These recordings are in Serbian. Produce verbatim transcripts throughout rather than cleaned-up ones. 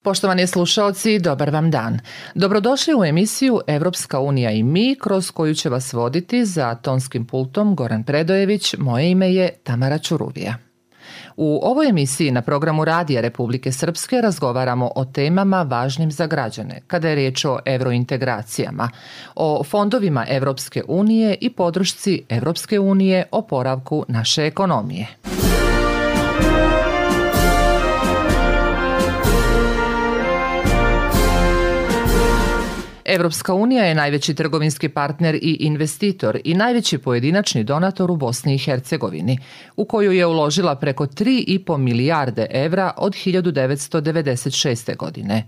Poštovani slušaoci, dobar vam dan. Dobrodošli u emisiju Evropska unija i mi, kroz koju će vas voditi za tonskim pultom Goran Predojević. Moje ime je Tamara Čuruvija. U ovoj emisiji na programu Radija Republike Srpske razgovaramo o temama važnim za građane, kada je riječ o evrointegracijama, o fondovima Evropske unije i podršci Evropske unije oporavku naše ekonomije. Evropska unija je najveći trgovinski partner i investitor i najveći pojedinačni donator u Bosni i Hercegovini, u koju je uložila preko tri i po milijarde evra od hiljadu devetsto devedeset šeste. godine.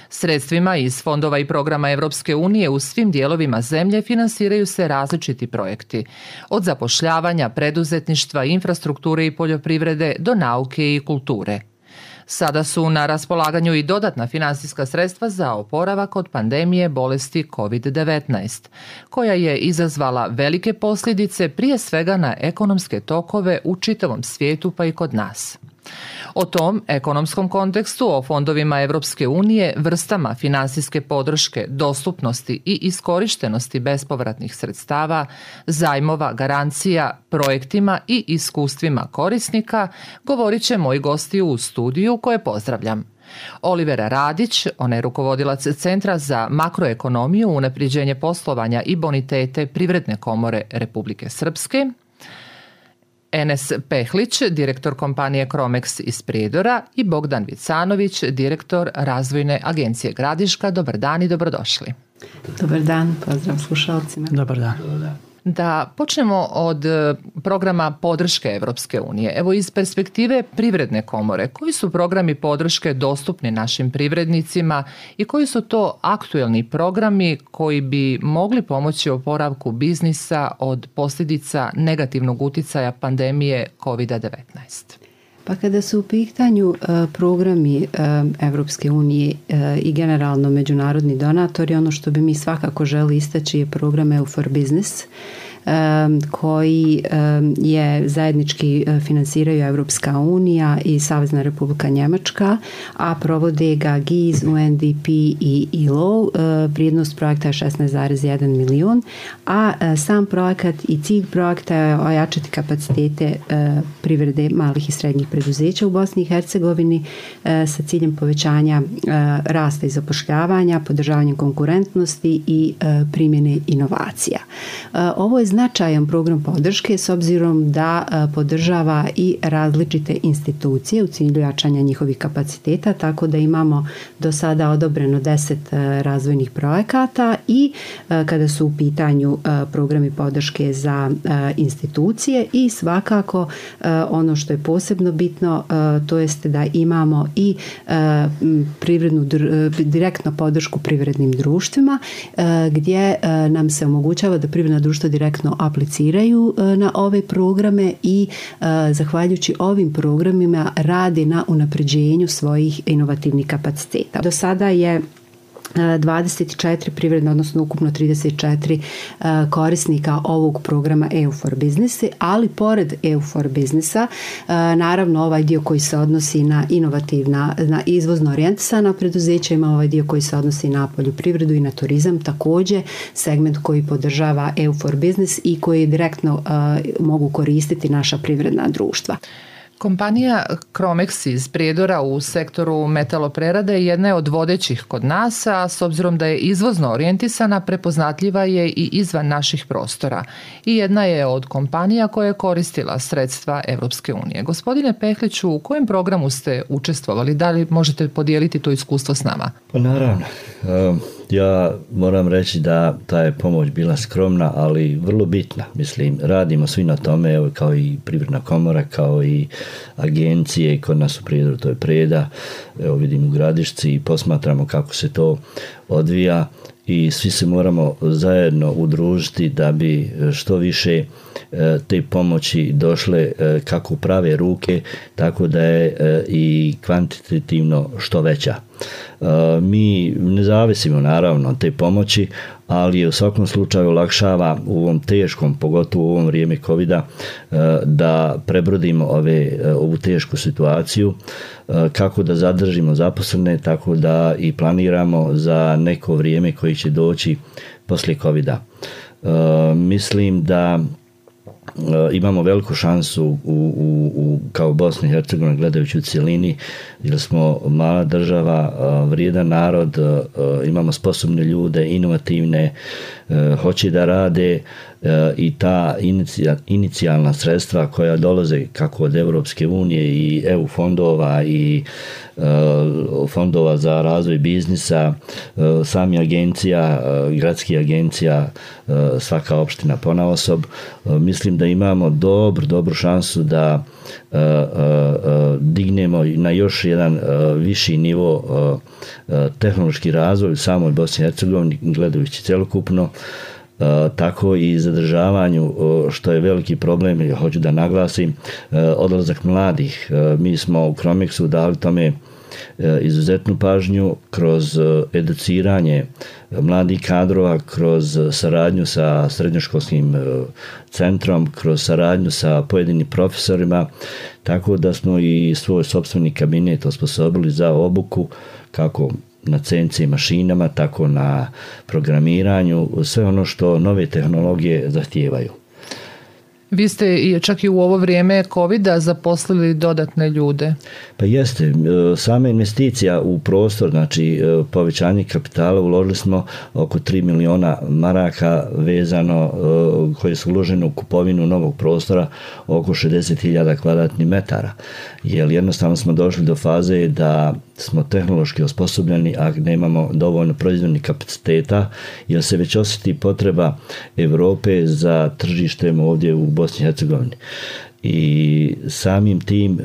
Sredstvima iz fondova i programa Evropske unije u svim dijelovima zemlje finansiraju se različiti projekti, od zapošljavanja, preduzetništva, infrastrukture i poljoprivrede do nauke i kulture. Sada su na raspolaganju i dodatna finansijska sredstva za oporavak od pandemije bolesti kovid devetnaest, koja je izazvala velike posljedice prije svega na ekonomske tokove u čitavom svijetu pa i kod nas. O tom ekonomskom kontekstu, o fondovima Evropske unije, vrstama finansijske podrške, dostupnosti i iskorištenosti bespovratnih sredstava, zajmova, garancija, projektima i iskustvima korisnika, govorit će moji gosti u studiju koje pozdravljam. Olivera Radić, ona je rukovodilac Centra za makroekonomiju, unapređenje poslovanja i bonitete Privredne komore Republike Srpske, Enes Pehlić, direktor kompanije Cromex iz Prijedora i Bogdan Vicanović, direktor razvojne agencije Gradiška. Dobar dan i dobrodošli. Dobar dan, pozdrav slušalcima. Dobar dan. Da počnemo od programa podrške Evropske unije. Evo, iz perspektive Privredne komore, koji su programi podrške dostupni našim privrednicima i koji su to aktuelni programi koji bi mogli pomoći oporavku biznisa od posljedica negativnog uticaja pandemije kovid devetnaest? Pa kada su u pitanju uh, programi uh, Evropske unije uh, i generalno međunarodni donatori, ono što bi mi svakako želi istaći je program E U for Business, um, koji um, je zajednički uh, finansiraju Evropska unija i Savezna Republika Njemačka, a provode ga G I Z, U N D P i I L O. Uh, vrijednost projekta je šesnaest zarez jedan milion, a uh, sam projekat i cilj projekta je ojačati kapacitete uh, privrede malih i srednjih preduzeća u Bosni i Hercegovini e, sa ciljem povećanja e, rasta i zapošljavanja, podržavanjem konkurentnosti i e, primjene inovacija. E, ovo je značajan program podrške s obzirom da e, podržava i različite institucije u cilju jačanja njihovih kapaciteta, tako da imamo do sada odobreno deset e, razvojnih projekata i e, kada su u pitanju e, programi podrške za e, institucije i svakako e, ono što je posebno bitno, to jest da imamo i privrednu, direktno podršku privrednim društvima gdje nam se omogućava da privredna društva direktno apliciraju na ove programe i zahvaljujući ovim programima radi na unapređenju svojih inovativnih kapaciteta. Do sada je dvadeset četiri privredne, odnosno ukupno trideset četiri korisnika ovog programa E U for Business, ali pored E U for Businessa, naravno ovaj dio koji se odnosi na inovativna, na izvozno orijentisana preduzeća, ima ovaj dio koji se odnosi na poljoprivredu i na turizam, također segment koji podržava E U for Business i koji direktno mogu koristiti naša privredna društva. Kompanija Cromex iz Prijedora u sektoru metaloprerade jedna je od vodećih kod nas, a s obzirom da je izvozno orijentisana, prepoznatljiva je i izvan naših prostora. I jedna je od kompanija koja je koristila sredstva Evropske unije. Gospodine Pehliću, u kojem programu ste učestvovali? Da li možete podijeliti to iskustvo s nama? Pa naravno. Ja moram reći da ta je pomoć bila skromna, ali vrlo bitna. Mislim, radimo svi na tome, evo, kao i Privredna komora, kao i agencije, kod nas u Prijedoru, to je Preda, evo vidim u Gradišci i posmatramo kako se to odvija i svi se moramo zajedno udružiti da bi što više te pomoći došle kako u prave ruke, tako da je i kvantitativno što veća. Mi ne zavisimo naravno od te pomoći, ali je u svakom slučaju olakšava u ovom teškom, pogotovo u ovom vrijeme covida, da prebrodimo ove, ovu tešku situaciju, kako da zadržimo zaposlene, tako da i planiramo za neko vrijeme koji će doći poslije covida. Mislim da imamo veliku šansu u, u, u, kao Bosna i Hercegovina gledajući u cjelini, jer smo mala država, vrijedan narod, imamo sposobne ljude, inovativne, hoće da rade i ta inicija, inicijalna sredstva koja dolaze kako od Europske unije i E U fondova i fondova za razvoj biznisa, sami agencija, gradskih agencija, svaka opština ponaosob, mislim da imamo dobru, dobru šansu da dignemo na još jedan viši nivo tehnološki razvoj u samoj Bosni i Hercegovini, gledajući celokupno, tako i zadržavanju, što je veliki problem, hoću da naglasim, odlazak mladih. Mi smo u Cromexu dali tome izuzetnu pažnju kroz educiranje mladih kadrova, kroz saradnju sa srednjoškolskim centrom, kroz saradnju sa pojedinim profesorima, tako da smo i svoj sopstveni kabinet osposobili za obuku, kako na C N C mašinama, tako na programiranju, sve ono što nove tehnologije zahtijevaju. Vi ste čak i u ovo vrijeme covida zaposlili dodatne ljude. Pa jeste, sama investicija u prostor, znači povećanje kapitala, uložili smo oko tri miliona maraka vezano, koje su uložene u kupovinu novog prostora, oko šezdeset hiljada kvadratnih metara. Jer jednostavno smo došli do faze da smo tehnološki osposobljeni, a nemamo dovoljno proizvodnih kapaciteta, jer se već osjeti potreba Europe za tržištem ovdje u Bosni i Hercegovini. I samim tim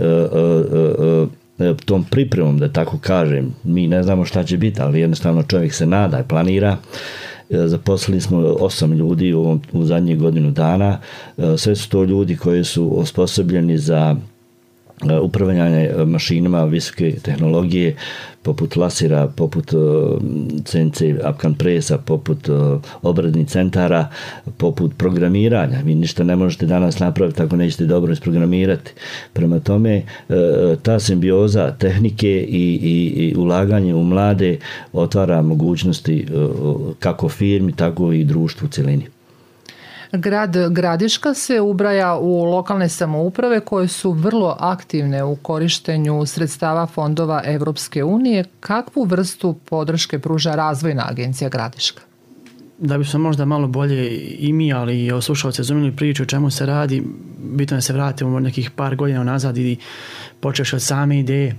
tom pripremom, da tako kažem, mi ne znamo šta će biti, ali jednostavno čovjek se nada i planira. Zaposlili smo osam ljudi u, ovom, u zadnjih godinu dana. Sve su to ljudi koji su osposobljeni za upravljanje mašinama visoke tehnologije, poput lasera, poput C N C apkan presa, poput obradnih centara, poput programiranja. Vi ništa ne možete danas napraviti ako nećete dobro isprogramirati. Prema tome, ta simbioza tehnike i, i, i ulaganje u mlade otvara mogućnosti kako firmi, tako i društvu u cjelini. Grad Gradiška se ubraja u lokalne samouprave koje su vrlo aktivne u korištenju sredstava fondova Evropske unije. Kakvu vrstu podrške pruža Razvojna agencija Gradiška? Da bi smo možda malo bolje i mi, ali i slušalci razumjeli priču o čemu se radi, bitno je se vratimo nekih par godina nazad i počeš od same ideje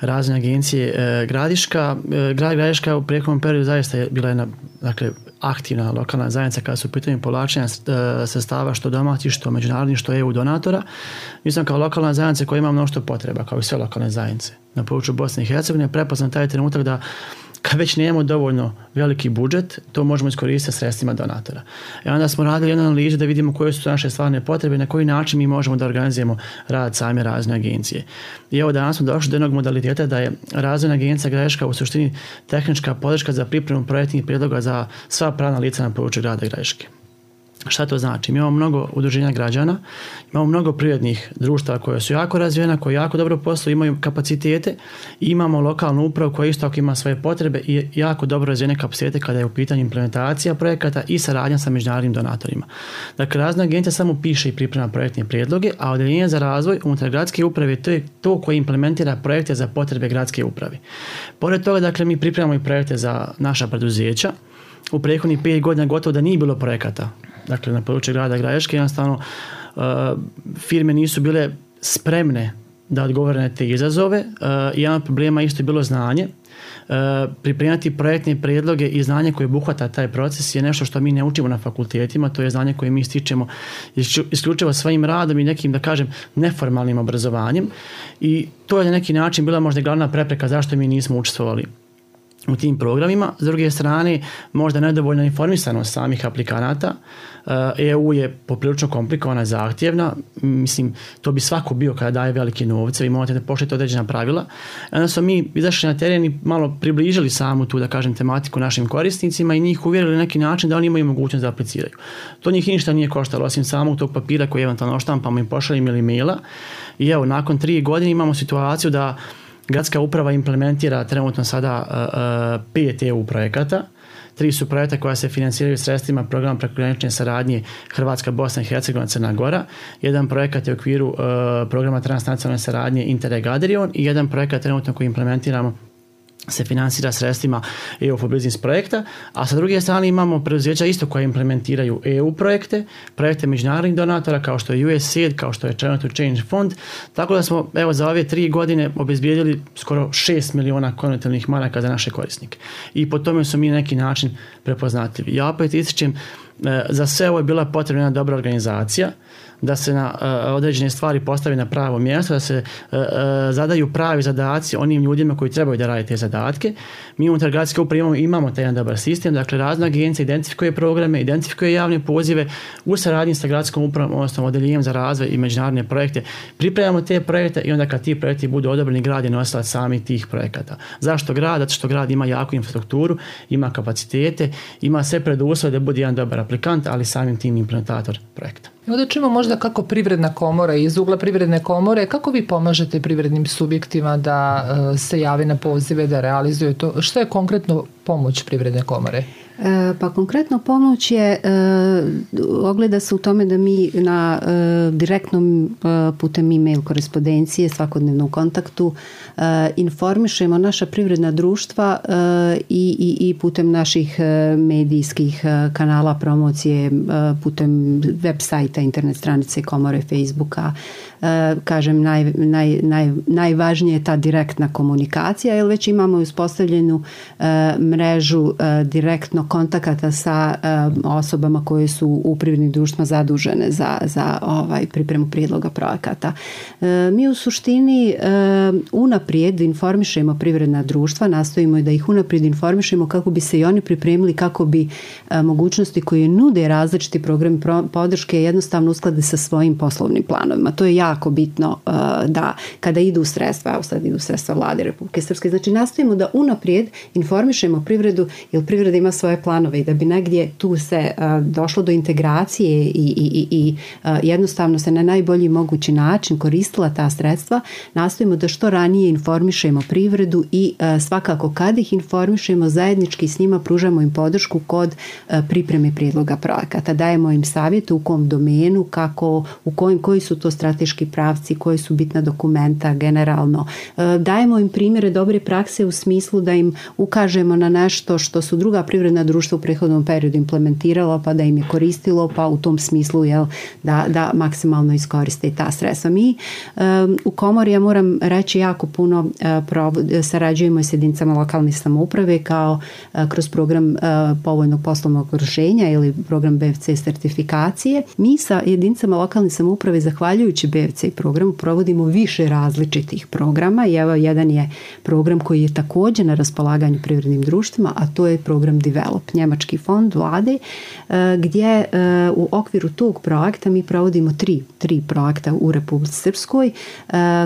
Razvojne agencije e, Gradiška. E, grad Gradiška u prethodnom periodu zaista je bila jedna, dakle, aktivna lokalna zajednica kada su u pitanju povlačenja sredstava što domaćih, što međunarodnih, što E U donatora. Mi smo kao lokalna zajednica koja ima mnoštvo potreba, kao i sve lokalne zajednice na području Bosne i Hercegovine, prepoznat taj trenutak da kad već nemamo dovoljno veliki budžet, to možemo iskoristiti sredstvima donatora. I onda smo radili jednu analizu da vidimo koje su naše stvarne potrebe i na koji način mi možemo da organizujemo rad same Razvojne agencije. I evo danas smo došli do jednog modaliteta da je Razvojna agencija Gradiška u suštini tehnička podrška za pripremu projektnih prijedloga za sva pravna lica na području grada Gradiške. Šta to znači? Mi imamo mnogo udruženja građana, imamo mnogo privatnih društava koje su jako razvijena, koje jako dobro posluju, imaju kapacitete i imamo lokalnu upravu koja isto tako ima svoje potrebe i jako dobro razvijene kapacitete kada je u pitanju implementacija projekata i saradnja sa međunarodnim donatorima. Dakle, Razvojna agencija samo piše i priprema projektne prijedloge, a odeljenje za razvoj unutar gradske uprave to je to koje implementira projekte za potrebe gradske uprave. Pored toga, dakle, mi pripremamo i projekte za naša preduzeća. U prethodnih pet godina gotovo da nije bilo projekata. Dakle, na području grada Gradiške jednostavno uh, firme nisu bile spremne da odgovore na te izazove. Uh, jedan od problema isto je bilo znanje. Uh, pripremati projektne prijedloge i znanje koje obuhvata taj proces je nešto što mi ne učimo na fakultetima, to je znanje koje mi stičemo isključivo svojim radom i nekim, da kažem, neformalnim obrazovanjem i to je na neki način bila možda glavna prepreka zašto mi nismo učestvovali u tim programima. S druge strane, možda nedovoljna informisanost samih aplikanata. E U je poprilično komplikovana, zahtjevna. Mislim, to bi svako bio kada daje velike novce. Vi morate da poštujete određena pravila. Onda smo mi izašli na teren i malo približili samu tu, da kažem, tematiku našim korisnicima i njih uvjerili na neki način da oni imaju mogućnost da apliciraju. To njih ništa nije koštalo, osim samog tog papira koji eventualno oštampamo i pošaljemo ili maila. I evo, nakon tri godine imamo situaciju da gradska uprava implementira trenutno sada uh, uh, pet E U projekata. Tri su projekta koja se financiraju sredstvima programa prekogranične saradnje Hrvatska, Bosna i Hercegovina, Crna Gora. Jedan projekat je u okviru uh, programa transnacionalne saradnje Interreg Adrion i jedan projekat trenutno koji implementiramo se finansira sredstvima E U for Business projekta, a sa druge strane imamo preduzeća isto koje implementiraju E U projekte, projekte međunarodnih donatora kao što je U S A I D, kao što je China to Change fond, tako da smo evo za ove tri godine obezbijedili skoro šest miliona konvertibilnih maraka za naše korisnike. I po tome su mi na neki način prepoznatljivi. Ja opet ističem, za sve ovo je bila potrebna jedna dobra organizacija, da se na uh, određene stvari postavi na pravo mjesto, da se uh, uh, zadaju pravi zadaci onim ljudima koji trebaju da rade te zadatke. Mi unutar gradske uprave imamo, imamo taj jedan dobar sistem, dakle razna agencija identifikuje programe, identifikuje javne pozive u saradnji sa gradskom upravom, odnosno odeljenjem za razvoj i međunarodne projekte. Pripremamo te projekte i onda kad ti projekti budu odobreni, grad je nosilac sami tih projekata. Zašto grad? Zato što grad ima jaku infrastrukturu, ima kapacitete, ima sve preduslove da bude jedan dobar aplikant, ali samim tim implementator projekta. Onda čujemo možda kako privredna komora, iz ugla privredne komore, kako vi pomažete privrednim subjektima da uh, se jave na pozive, da realizuju to? Što je konkretno pomoć privredne komore? E, pa konkretno pomoć je, e, ogleda se u tome da mi na e, direktnom e, putem e-mail korespondencije, svakodnevnom kontaktu e, informišemo naša privredna društva e, i, i, i putem naših e, medijskih e, kanala promocije, e, putem web sajta, internet stranice komore, Facebooka. E, kažem, naj, naj, naj, najvažnije je ta direktna komunikacija, jer već imamo uspostavljenu e, mrežu e, direktno kontakata sa e, osobama koje su u privrednim društvima zadužene za, za ovaj, pripremu prijedloga projekata. E, mi u suštini e, unaprijed informišemo privredna društva, nastojimo da ih unaprijed informišemo kako bi se i oni pripremili, kako bi e, mogućnosti koje nude različiti programi podrške jednostavno usklade sa svojim poslovnim planovima. To je jako bitno uh, da kada idu sredstva, evo sad idu sredstva Vlade Republike Srpske, znači nastojimo da unaprijed informišemo privredu, jer privreda ima svoje planove i da bi negdje tu se uh, došlo do integracije i, i, i, i uh, jednostavno se na najbolji mogući način koristila ta sredstva, nastojimo da što ranije informišemo privredu i uh, svakako kad ih informišemo zajednički s njima pružamo im podršku kod uh, pripreme prijedloga projekata, dajemo im savjete u kom domenu, kako, u kojim, koji su to strateški pravci, koji su bitna dokumenta generalno. Dajemo im primjere dobre prakse u smislu da im ukažemo na nešto što su druga privredna društva u prethodnom periodu implementirala, pa da im je koristilo, pa u tom smislu jel, da, da maksimalno iskoriste i ta sredstva. Mi um, u komori, ja moram reći, jako puno uh, provod, sarađujemo s jedinicama lokalne samouprave kao uh, kroz program uh, povoljnog poslovnog okruženja ili program B F C sertifikacije. Mi sa jedinicama lokalne samouprave, zahvaljujući B F C programu, provodimo više različitih programa i evo jedan je program koji je također na raspolaganju privrednim društvima, a to je program Develop, njemački fond vlade, gdje u okviru tog projekta mi provodimo tri, tri projekta u Republici Srpskoj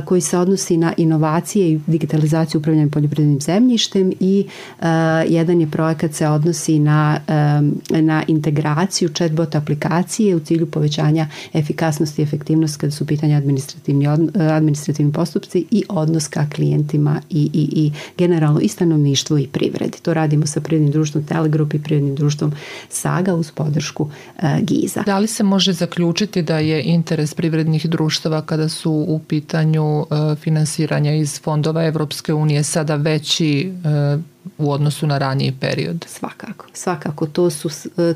koji se odnosi na inovacije i digitalizaciju upravljanja poljoprivrednim zemljištem i jedan je projekat se odnosi na, na integraciju chatbot aplikacije u cilju povećanja efikasnosti i efektivnosti kada su u pitanju administrativni, administrativni postupci i odnos ka klijentima i, i, i generalno i stanovništvu i privredi. To radimo sa privrednim društvom Telegrup i privrednim društvom Saga uz podršku uh, Giza. Da li se može zaključiti da je interes privrednih društava kada su u pitanju uh, finansiranja iz fondova Evropske unije sada veći uh, u odnosu na raniji period? Svakako, svakako. To, su,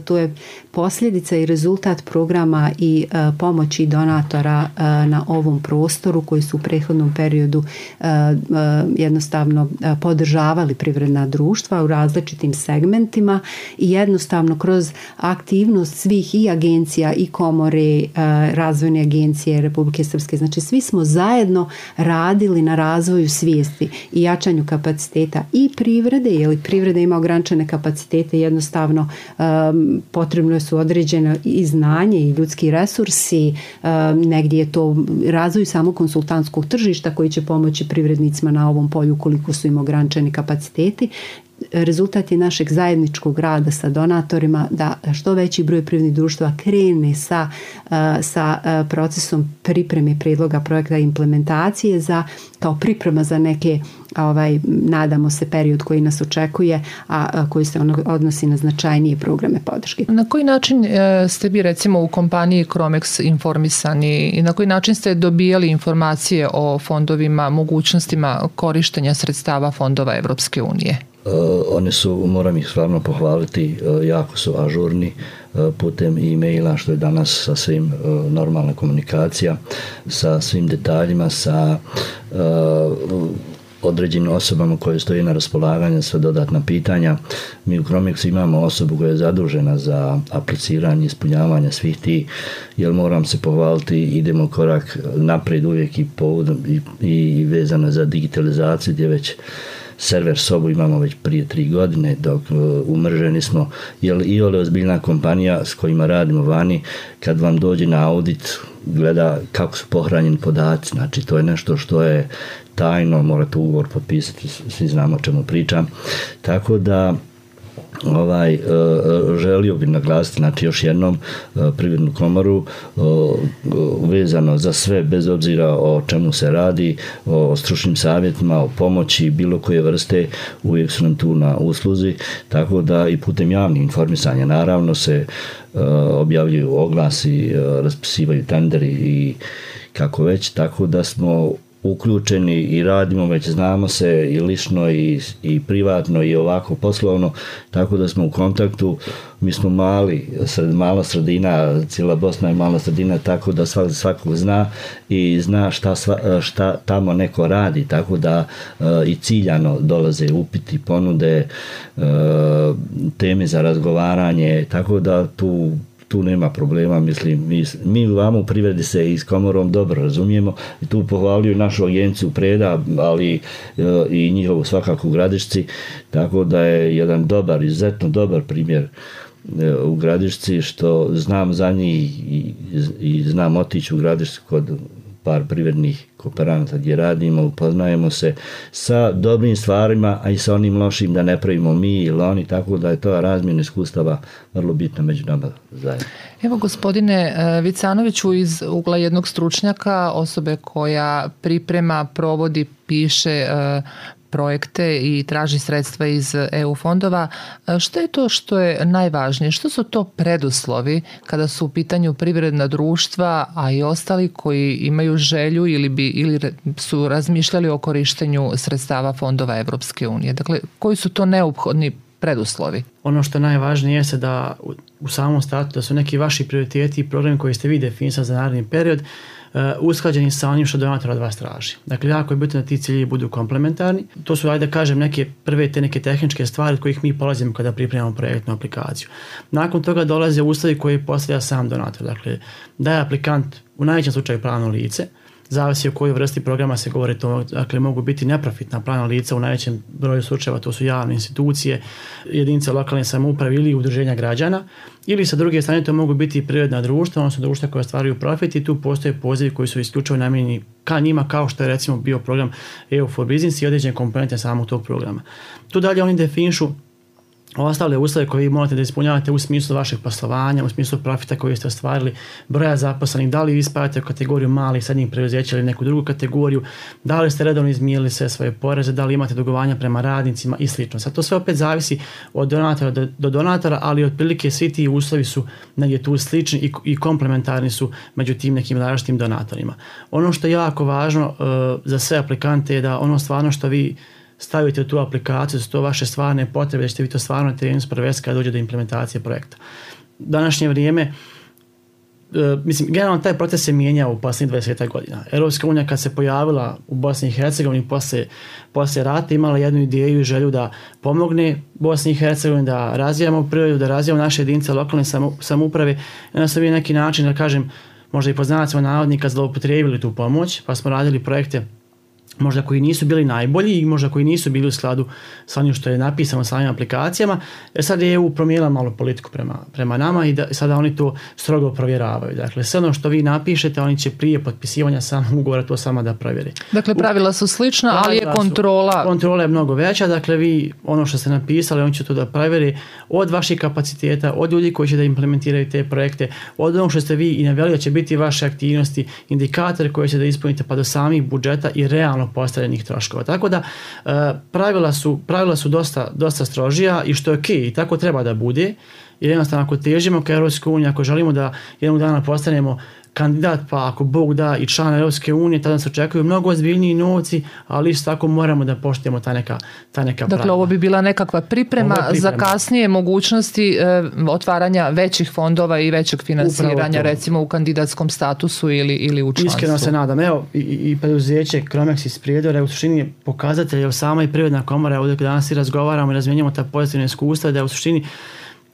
to je posljedica i rezultat programa i uh, pomoći donatora uh, na ovom prostoru koji su u prethodnom periodu uh, uh, jednostavno uh, podržavali privredna društva u različitim segmentima i jednostavno kroz aktivnost svih i agencija i komore, uh, razvojne agencije Republike Srpske. Znači svi smo zajedno radili na razvoju svijesti i jačanju kapaciteta i privrede privrede, jer privreda ima ograničene kapacitete, jednostavno um, potrebno su određeno i znanje i ljudski resursi, um, negdje je to razvoj samo konsultantskog tržišta koji će pomoći privrednicima na ovom polju koliko su im ograničeni kapaciteti. Rezultat je našeg zajedničkog rada sa donatorima da što veći broj privrednih društva krene sa, sa procesom pripreme prijedloga projekta i implementacije za, kao priprema za neke, ovaj, nadamo se, period koji nas očekuje, a, a koji se odnosi na značajnije programe podrške. Na koji način ste vi recimo u kompaniji Cromex informisani i na koji način ste dobijali informacije o fondovima, mogućnostima korištenja sredstava fondova Evropske unije? Uh, oni su, moram ih stvarno pohvaliti, uh, jako su ažurni uh, putem e-maila, što je danas sa svim uh, normalna komunikacija, sa svim detaljima, sa uh, određenim osobama koje stoji na raspolaganju, sve dodatna pitanja. Mi u Cromexu imamo osobu koja je zadužena za apliciranje, ispunjavanje svih tih, jer moram se pohvaliti, idemo korak naprijed uvijek i, povodom, i, i vezano za digitalizaciju, gdje već server sobu imamo već prije tri godine, dok uh, umrženi smo, jer i ole ozbiljna kompanija s kojima radimo vani, kad vam dođe na audit, gleda kako su pohranjeni podaci, znači to je nešto što je tajno, morate ugovor potpisati, svi znamo o čemu pričam, tako da ovaj želio bih naglasiti, znači još jednom Privrednu komoru vezano za sve, bez obzira o čemu se radi, o stručnim savjetima, o pomoći bilo koje vrste, uvijek su nam tu na usluzi, tako da i putem javnih informisanja naravno se objavljuju oglasi, raspisivaju tenderi i kako već, tako da smo uključeni i radimo, već znamo se i lično i, i privatno i ovako poslovno, tako da smo u kontaktu. Mi smo mali, sred, mala sredina, cijela Bosna je mala sredina, tako da svak, svakog zna i zna šta, sva, šta tamo neko radi, tako da uh, i ciljano dolaze upiti, ponude, uh, teme za razgovaranje, tako da tu tu nema problema, mislim, mi, mi vamo u privredi se i s komorom dobro razumijemo i tu pohvaljuju našu agenciju Preda, ali e, i njihovu svakako u Gradišci, tako da je jedan dobar, izuzetno dobar primjer e, u Gradišci, što znam za njih i, i, i znam otići u Gradišci kod par privrednih kooperanata gdje radimo, upoznajemo se sa dobrim stvarima, a i sa onim lošim da ne pravimo mi ili oni, tako da je to razmjena iskustava vrlo bitna među nama zajedno. Evo, gospodine Vicanoviću, iz ugla jednog stručnjaka, osobe koja priprema, provodi, piše projekte i traži sredstva iz E U fondova, što je to što je najvažnije? Što su to preduslovi kada su u pitanju privredna društva, a i ostali koji imaju želju ili, bi, ili su razmišljali o korištenju sredstava fondova Evropske unije? Dakle, koji su to neophodni preduslovi? Ono što je najvažnije jeste da u, u samom startu da su neki vaši prioriteti i programi koji ste vi definisali za naredni period uh, usklađeni sa onim što donator od vas traži. Dakle, jako je bitno da ti ciljevi budu komplementarni. To su, ajde da kažem, neke prve te neke tehničke stvari od kojih mi polazimo kada pripremamo projektnu aplikaciju. Nakon toga dolaze uslovi koje postavlja sam donator. Dakle, da je aplikant u najvećem slučaju pravno lice, zavisi o kojoj vrsti programa se govori, to dakle, mogu biti neprofitna pravna lica, u najvećem broju slučajeva to su javne institucije, jedinice lokalne samouprave ili udruženja građana, ili sa druge strane to mogu biti privredna društva, odnosno društva koja stvaraju profit i tu postoje pozivi koji su isključivo namijenjeni ka njima, kao što je recimo bio program E U for Business i određene komponente samog tog programa. Tu dalje oni definišu ostale uslove koje vi morate da ispunjavate u smislu vašeg poslovanja, u smislu profita koji ste ostvarili, broja zaposlenih, da li vi spadate u kategoriju malih, srednjih preduzeća ili neku drugu kategoriju, da li ste redovno izmirili sve svoje poreze, da li imate dugovanja prema radnicima i slično. Sad to sve opet zavisi od donatora do, do donatora, ali otprilike svi ti uslovi su negdje tu slični i, i komplementarni su među tim nekim različitim donatorima. Ono što je jako važno uh, za sve aplikante je da ono stvarno što vi stavite u tu aplikaciju, su to vaše stvarne potrebe, da ćete vi to stvarno na terenu sprovesti kada dođe do implementacije projekta. U današnje vrijeme, uh, mislim, generalno taj proces se mijenjao u posljednjih dvadeset godina. Europska unija kad se pojavila u Bosni i Hercegovini posle, posle rata imala jednu ideju i želju da pomogne Bosni i Hercegovini, da razvijamo privredu, da razvijamo naše jedinice lokalne samouprave, i onda su vi na neki način, da kažem, možda i po znacima navodnika zloupotrijebili tu pomoć, pa smo radili projekte možda koji nisu bili najbolji i možda koji nisu bili u skladu sa onim što je napisano sa ovim aplikacijama. E sad je E U promijenila malo politiku prema, prema nama i da, sada oni to strogo provjeravaju. Dakle, sve ono što vi napišete, oni će prije potpisivanja samog ugovora to sama da provjeri. Dakle, pravila su slična, pravila ali je kontrola... Su, kontrola je mnogo veća, dakle vi ono što ste napisali, oni će to da provjeri od vaših kapaciteta, od ljudi koji će da implementiraju te projekte, od onog što ste vi i naveli da će biti vaše aktivnosti, indikatori koje će da ispunite pa do samih budžeta i realno postavljenih troškova. Tako da uh, pravila su, pravila su dosta, dosta strožija i što je ok, i tako treba da bude, jer jednostavno ako težimo ka Europskoj uniji, ako želimo da jednog dana postanemo kandidat, pa ako Bog da i član Europske unije, tada se očekuju mnogo ozbiljniji novci, ali isto tako moramo da poštujemo ta neka, ta neka Dakle, pravila. ovo bi bila nekakva priprema, priprema. za kasnije mogućnosti e, otvaranja većih fondova i većeg finansiranja, recimo u kandidatskom statusu ili, ili u članstvu. Iskreno se nadam. Evo, i, i preduzeće Cromex iz Prijedora u suštini je pokazatelj, evo sama i Privredna komora, ovdje danas i razgovaramo i razmjenjamo ta pozitivna iskustva, da je u suštini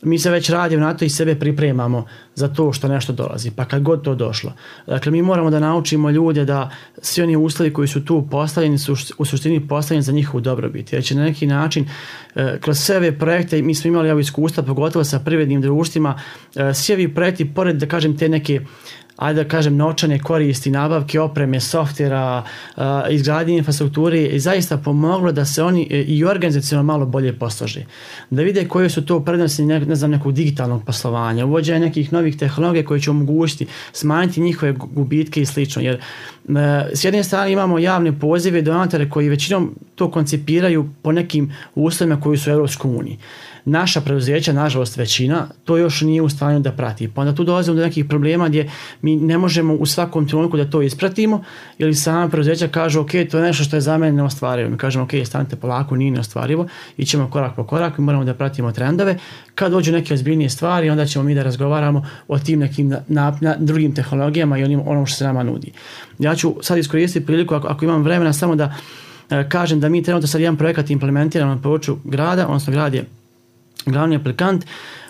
mi se već radimo na to i sebe pripremamo za to što nešto dolazi, pa kad god to došlo. Dakle, mi moramo da naučimo ljude da svi oni uslovi koji su tu postavljeni su u suštini postavljeni za njihovu dobrobit. Jer će na neki način, kroz sve ove projekte, mi smo imali ovo iskustva, pogotovo sa privrednim društvima, svi ovi projekti, pored da kažem te neke ajde da kažem novčane koristi, nabavke opreme, softvera, izgradnje infrastrukture i zaista pomoglo da se oni i organizacionalno malo bolje poslože. Da vide koje su to prednosti ne, ne znam, nekog digitalnog poslovanja, uvođenja nekih novih tehnologija koje će omogućiti smanjiti njihove gubitke i slično. Jer s jedne strane imamo javne pozive, donatore koji većinom to koncipiraju po nekim uslovima koji su u Europskoj uniji. Naša preduzeća, nažalost većina, to još nije u stanju da prati. Pa onda tu dolazimo do nekih problema gdje mi ne možemo u svakom trenutku da to ispratimo ili sama preduzeća kažu ok, to je nešto što je za mene neostvarivo. Mi kažemo ok, stanite polako, nije neostvarivo, ićemo korak po korak i moramo da pratimo trendove. Kad dođu neke ozbiljnije stvari, onda ćemo mi da razgovaramo o tim nekim na, na, na drugim tehnologijama i onim, onom što se nama nudi. Ja ću sad iskoristiti priliku, ako, ako imam vremena, samo da e, kažem da mi trenutno sad jedan projekat implementiramo na području grada, odnosno grad je glavni aplikant,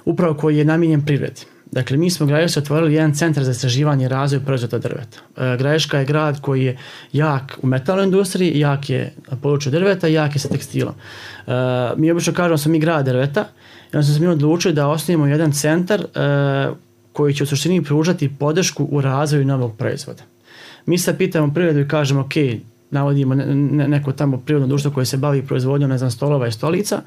upravo koji je namijenjen privredi. Dakle, mi smo u Gradišci otvorili jedan centar za istraživanje i razvoj proizvoda drveta. E, Gradiška je grad koji je jak u metalnoj industriji, jak je na području drveta i jak je sa tekstilom. E, mi obično kažemo da smo mi grad drveta i onda smo se mi odlučili da osnovimo jedan centar e, koji će u suštini pružati podršku u razvoju novog proizvoda. Mi sad pitamo privredu i kažemo ok, navodimo ne, ne, neko tamo prirodno društvo koje se bavi proizvodnjom, ne znam, stolova i stolica,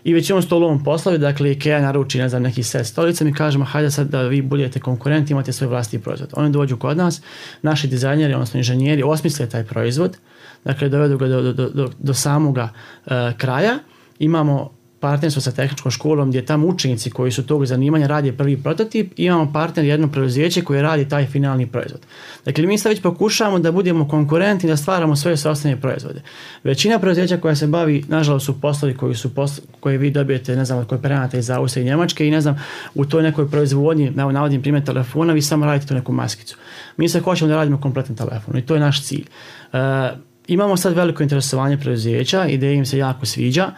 i već imamo stolovom poslovi, dakle IKEA naruči, ne znam, neki set stolica, mi kažemo hajde sad da vi budete konkurenti, imate svoj vlastiti proizvod. Oni dođu kod nas, naši dizajneri, odnosno inženjeri, osmisle taj proizvod, dakle dovedu ga do, do, do, do samoga uh, kraja, imamo partnerstvo sa tehničkom školom gdje tamo učenici koji su tog zanimanja radi prvi prototip i imamo partner jedno preduzeće koje radi taj finalni proizvod. Dakle, mi sad već pokušavamo da budemo konkurentni, da stvaramo svoje sopstvene proizvode. Većina preduzeća koja se bavi, nažalost, su poslovi koji su poslovi koje vi dobijete, ne znam, od kooperanata iz Austrije i Njemačke i ne znam, u toj nekoj proizvodnji, navodim primjer telefona, vi samo radite tu neku maskicu. Mi sad hoćemo da radimo kompletan telefon i to je naš cilj. Uh, imamo sad veliko interesovanje preduzeća, ideja im se jako sviđa.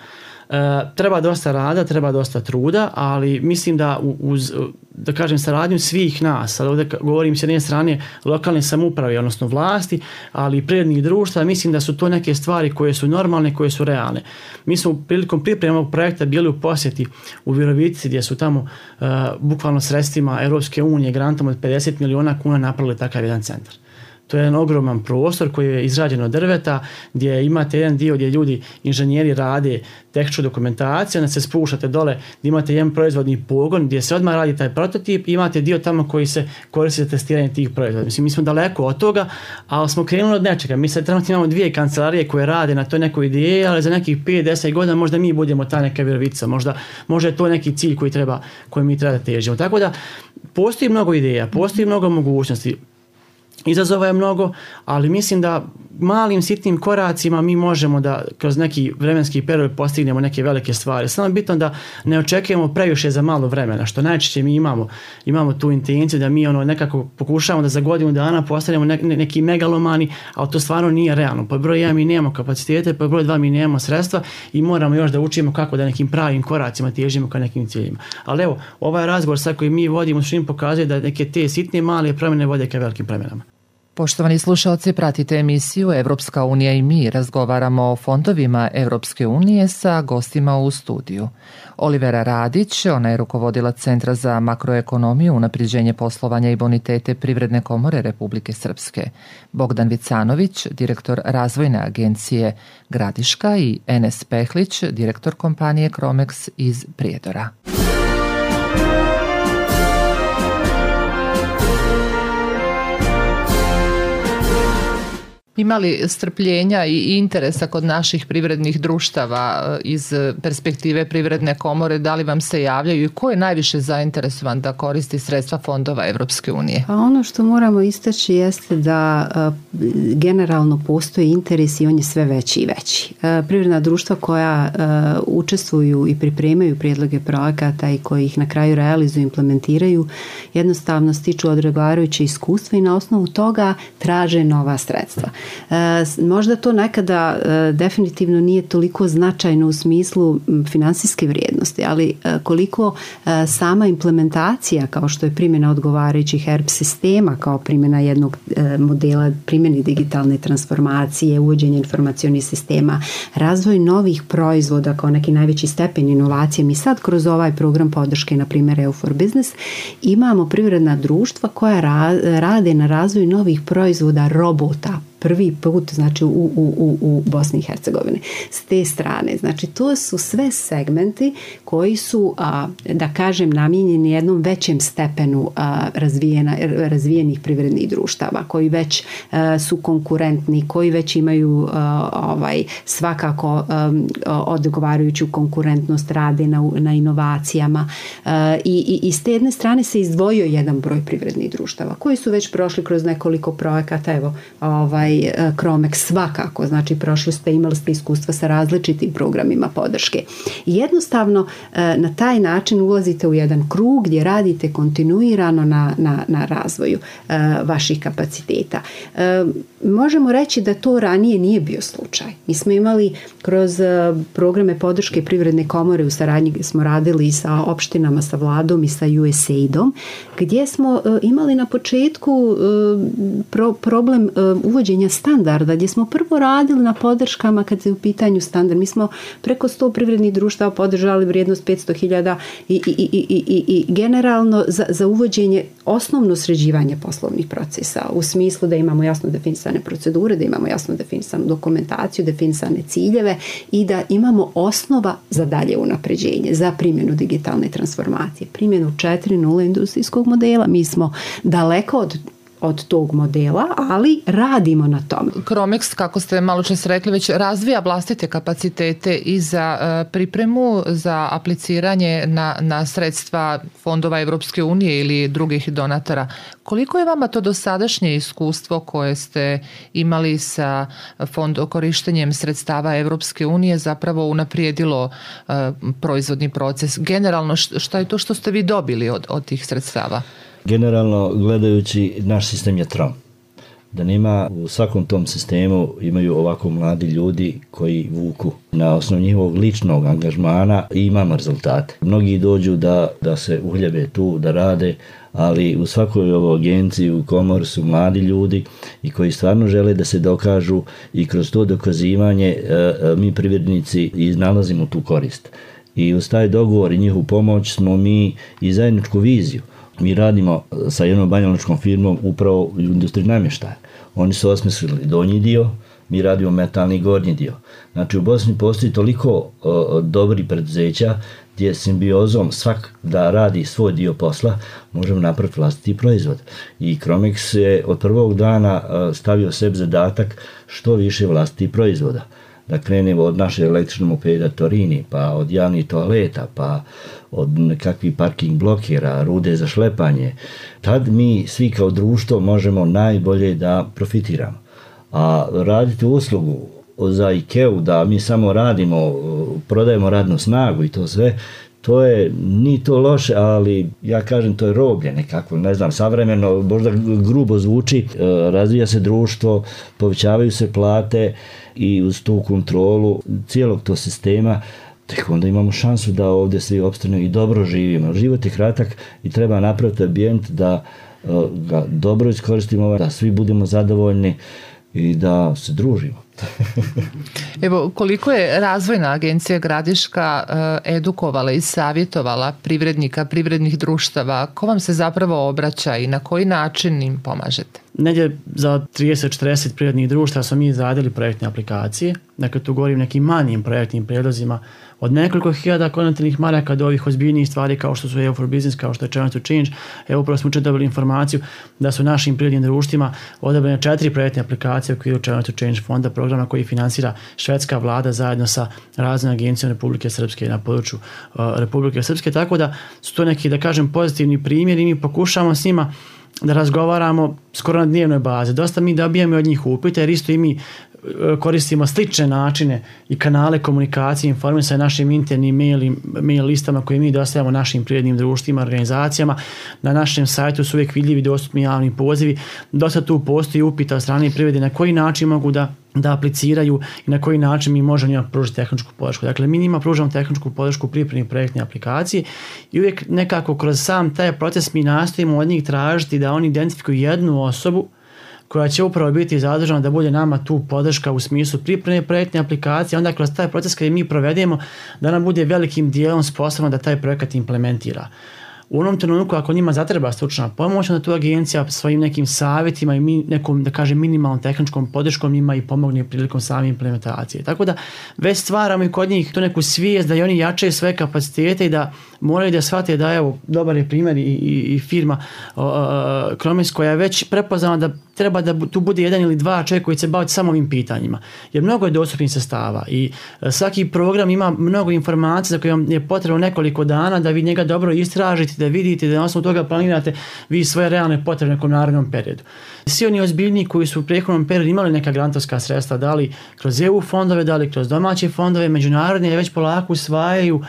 Uh, treba dosta rada, treba dosta truda, ali mislim da uz, da kažem, saradnju svih nas, sad ovdje govorim s jedne strane lokalne samouprave, odnosno vlasti, ali i privrednih društva, mislim da su to neke stvari koje su normalne, koje su realne. Mi smo prilikom pripreme ovog projekta bili u posjeti u Virovitici gdje su tamo uh, bukvalno sredstvima Europske unije, grantom od pedeset miliona kuna napravili takav jedan centar. To je jedan ogroman prostor koji je izrađen od drveta, gdje imate jedan dio gdje ljudi, inženjeri rade tehničku dokumentaciju, onda se spuštate dole gdje imate jedan proizvodni pogon gdje se odmah radi taj prototip i imate dio tamo koji se koristi za testiranje tih proizvoda. Mislim, mi smo daleko od toga, ali smo krenuli od nečega. Mi sad trenutno imamo dvije kancelarije koje rade na toj nekoj ideji, ali za nekih pet do deset godina možda mi budemo ta neka Virovitica, možda, možda je to neki cilj koji, treba, koji mi treba da težimo. Tako da postoji mnogo ideja, postoji mnogo mogućnosti. Izazova je mnogo, ali mislim da malim sitnim koracima mi možemo da kroz neki vremenski period postignemo neke velike stvari. Samo je bitno da ne očekujemo previše za malo vremena, što najčešće mi imamo, imamo tu intenciju da mi ono nekako pokušavamo da za godinu dana postavljamo ne, ne, neki megalomani, ali to stvarno nije realno. Po broj jedan mi nemamo kapacitete, po broj dva mi nemamo sredstva i moramo još da učimo kako da nekim pravim koracima težimo ka nekim ciljima. Ali evo, ovaj razgovor sad koji mi vodimo što im pokazuje da neke te sitne male promjene vode ka velikim promjenama. Poštovani slušalci, pratite emisiju Evropska unija i mi. Razgovaramo o fondovima Evropske unije sa gostima u studiju. Olivera Radić, ona je rukovodilac Centra za makroekonomiju, unapređenje poslovanja i bonitete Privredne komore Republike Srpske. Bogdan Vicanović, direktor razvojne agencije Gradiška i Enes Pehlić, direktor kompanije Cromex iz Prijedora. Ima li strpljenja i interesa kod naših privrednih društava iz perspektive Privredne komore? Da li vam se javljaju i ko je najviše zainteresovan da koristi sredstva fondova Evropske unije? Pa ono što moramo istaći jeste da uh, generalno postoji interes i on je sve veći i veći. Uh, privredna društva koja uh, učestvuju i pripremaju prijedloge projekata i koji ih na kraju realizuju i implementiraju jednostavno stiču odgovarajuće iskustva i na osnovu toga traže nova sredstva. E, možda to nekada e, definitivno nije toliko značajno u smislu finansijske vrijednosti, ali e, koliko e, sama implementacija kao što je primjena odgovarajućih E R P sistema kao primjena jednog e, modela primjeni digitalne transformacije, uvođenje informacionih sistema, razvoj novih proizvoda kao neki najveći stepen inovacije. Mi sad kroz ovaj program podrške, na primjer E U for Business, imamo privredna društva koja ra, rade na razvoju novih proizvoda robota, prvi put, znači u, u, u, u Bosni i Hercegovini. S te strane, znači to su sve segmenti koji su, a, da kažem, namijenjeni jednom većem stepenu a, razvijena, razvijenih privrednih društava, koji već a, su konkurentni, koji već imaju a, ovaj, svakako a, odgovarajuću konkurentnost, rade na, na inovacijama a, i, i, i s te jedne strane se izdvojio jedan broj privrednih društava koji su već prošli kroz nekoliko projekata, evo, ovaj Cromex svakako, znači prošli ste, imali ste iskustva sa različitim programima podrške. Jednostavno na taj način ulazite u jedan krug gdje radite kontinuirano na, na, na razvoju uh, vaših kapaciteta. Uh, možemo reći da to ranije nije bio slučaj. Mi smo imali kroz uh, programe podrške Privredne komore, u saradnji smo radili sa opštinama, sa vladom i sa U S A I D-om, gdje smo uh, imali na početku uh, pro, problem uh, uvođenja standarda, gdje smo prvo radili na podrškama kad je u pitanju standard. Mi smo preko sto privrednih društava podržali vrijednost petsto hiljada i, i, i, i, i, i generalno za, za uvođenje osnovno sređivanje poslovnih procesa u smislu da imamo jasno definisane procedure, da imamo jasno definisanu dokumentaciju, definisane ciljeve i da imamo osnova za dalje unapređenje, za primjenu digitalne transformacije, primjenu četiri nula industrijskog modela. Mi smo daleko od od tog modela, ali radimo na tome. Cromex, kako ste malo čas rekli, već razvija vlastite kapacitete i za uh, pripremu, za apliciranje na, na sredstva fondova Evropske unije ili drugih donatora. Koliko je vama to dosadašnje iskustvo koje ste imali sa fond, korištenjem sredstava Evropske unije zapravo unaprijedilo uh, proizvodni proces? Generalno, šta je to što ste vi dobili od, od tih sredstava? Generalno gledajući, naš sistem je trom. Da nema u svakom tom sistemu imaju ovako mladi ljudi koji vuku na osnovu njihovog ličnog angažmana i imamo rezultate. Mnogi dođu da, da se uhljebe tu, da rade, ali u svakoj ovoj agenciji, u komori su mladi ljudi i koji stvarno žele da se dokažu i kroz to dokazivanje mi privrednici iznalazimo tu korist. I uz taj dogovor i njihovu pomoć smo mi i zajedničku viziju. Mi radimo sa jednom banjaločkom firmom upravo u industriji namještaja. Oni su osmislili donji dio, mi radimo metalni gornji dio. Znači u Bosni postoji toliko o, dobri preduzeća gdje simbiozom svak da radi svoj dio posla možemo napraviti vlastiti proizvod. I Cromex je od prvog dana stavio sebi zadatak što više vlastitih proizvoda. Da krenemo od naše električne mopeda Torini, pa od javnih toaleta, pa od nekakvih parking blokera, rude za šlepanje. Tad mi svi kao društvo možemo najbolje da profitiramo. A raditi uslugu za IKEA-u da mi samo radimo, prodajemo radnu snagu i to sve, to je, ni to loše, ali ja kažem to je roblje nekako, ne znam, savremeno, možda grubo zvuči, razvija se društvo, povećavaju se plate i uz tu kontrolu cijelog tog sistema, tek onda imamo šansu da ovdje svi opstanu i dobro živimo. Život je kratak i treba napraviti ambijent da ga dobro iskoristimo, da svi budemo zadovoljni i da se družimo. Evo, koliko je Razvojna agencija Gradiška edukovala i savjetovala privrednika, privrednih društava, ko vam se zapravo obraća i na koji način im pomažete? Negdje za trideset do četrdeset privrednih društava smo mi izradili projektne aplikacije. Dakle, tu govorim nekim manjim projektnim prijedlozima od nekoliko hiljada konvertibilnih maraka do ovih ozbiljnijih stvari kao što su E U for Business, kao što je Challenge to Change. Evo, upravo smo dobili informaciju da su našim privrednim društvima odabrane četiri projektne aplikacije u okviru Challenge to Change fonda, programa koji finansira švedska vlada zajedno sa Razvojnom agencijom Republike Srpske na području uh, Republike Srpske. Tako da su to neki, da kažem, pozitivni primjeri i mi pokušavamo s njima da razgovaramo skoro na dnevnoj bazi. Dosta mi dobijamo od njih upite jer isto i mi koristimo slične načine i kanale komunikacije, informisanja našim internim mail, mail listama koje mi dostavljamo našim privrednim društvima, organizacijama. Na našem sajtu su uvijek vidljivi dostupni javni pozivi. Dosta tu postoji upita od strane privrede na koji način mogu da da apliciraju i na koji način mi možemo njima pružiti tehničku podršku. Dakle, mi njima pružamo tehničku podršku u pripremi projektne aplikacije i uvijek nekako kroz sam taj proces mi nastojimo od njih tražiti da oni identifikuju jednu osobu koja će upravo biti zadužena da bude nama tu podrška u smislu pripreme projektne aplikacije, onda kroz taj proces kad mi provedemo da nam bude velikim dijelom sposobno da taj projekat implementira. U onom trenutku ako njima zatreba stručna pomoć, onda tu agencija svojim nekim savjetima i mi, nekom, da kažem, minimalnom tehničkom podrškom njima i pomogne prilikom same implementacije. Tako da već stvaramo i kod njih tu neku svijest da i oni jačaju svoje kapacitete i da moraju da shvate da, evo, dobar je primjer i, i, i firma Kromis koja je već prepoznala da treba da tu bude jedan ili dva čovjeka koji će se baviti samo ovim pitanjima. Jer mnogo je dostupnih sredstava i svaki program ima mnogo informacija za koje vam je potrebno nekoliko dana da vi njega dobro istražite, da vidite, da na osnovu toga planirate vi svoje realne potrebe u nekom narednom periodu. Svi oni ozbiljni koji su u prethodnom periodu imali neka grantovska sredstva, da li kroz E U fondove, da li kroz domaće fondove, međunarodne, već polako usvajaju,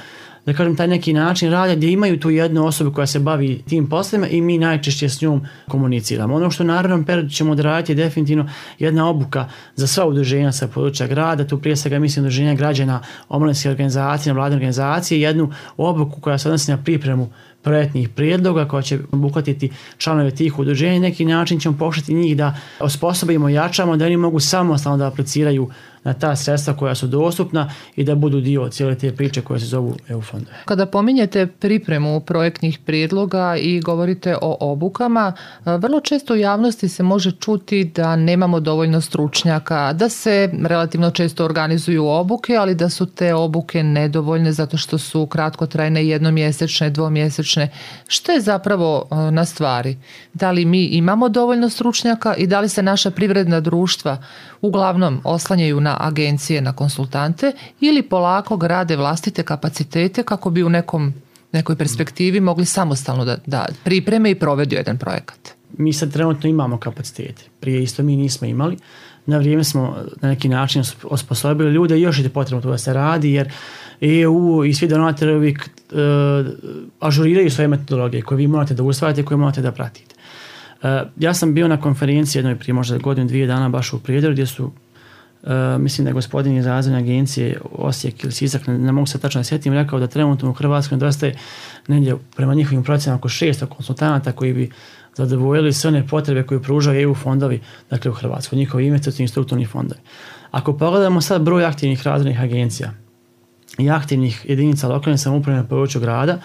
da kažem, taj neki način rada gdje imaju tu jednu osobu koja se bavi tim poslovima i mi najčešće s njom komuniciramo. Ono što u narednom periodu ćemo odraditi je definitivno jedna obuka za sva udruženja sa područja grada, tu prije svega mislim udruženja građana, omladinske organizacije, vladine organizacije, jednu obuku koja se odnosi na pripremu projektnih prijedloga koja će obuhvatiti članove tih udruženja. Neki način ćemo pokušati njih da osposobimo, jačamo, da oni mogu samostalno da apliciraju na ta sredstva koja su dostupna i da budu dio cijele te priče koje se zovu E U fondove. Kada pominjete pripremu projektnih prijedloga i govorite o obukama, vrlo često u javnosti se može čuti da nemamo dovoljno stručnjaka, da se relativno često organizuju obuke, ali da su te obuke nedovoljne zato što su kratkotrajne, jednomjesečne, dvomjesečne. Što je zapravo na stvari? Da li mi imamo dovoljno stručnjaka i da li se naša privredna društva uglavnom oslanjaju na agencije, na konsultante ili polako grade vlastite kapacitete kako bi u nekom, nekoj perspektivi mogli samostalno da, da pripreme i provedu jedan projekat? Mi sad trenutno imamo kapacitete. Prije isto mi nismo imali. Na vrijeme smo na neki način osposobili ljude i još je potrebno to da se radi jer E U i svi donatori uvijek uh, ažuriraju svoje metodologije koje vi morate da usvajate i koje morate da pratite. Uh, ja sam bio na konferenciji jednoj prije možda godinu, dvije dana baš u Prijedoru gdje su Uh, mislim da je gospodin iz Razvojne agencije Osijek ili Sisak, ne, ne mogu se tačno sjetiti, rekao da trenutno u Hrvatskoj nedostaje negdje prema njihovim procjenama oko šesto konsultanata koji bi zadovoljili sve one potrebe koje pružaju E U fondovi, dakle u Hrvatskoj, njihovi investicijni strukturni fondovi. Ako pogledamo sad broj aktivnih razvojnih agencija i aktivnih jedinica lokalne samouprave na području grada,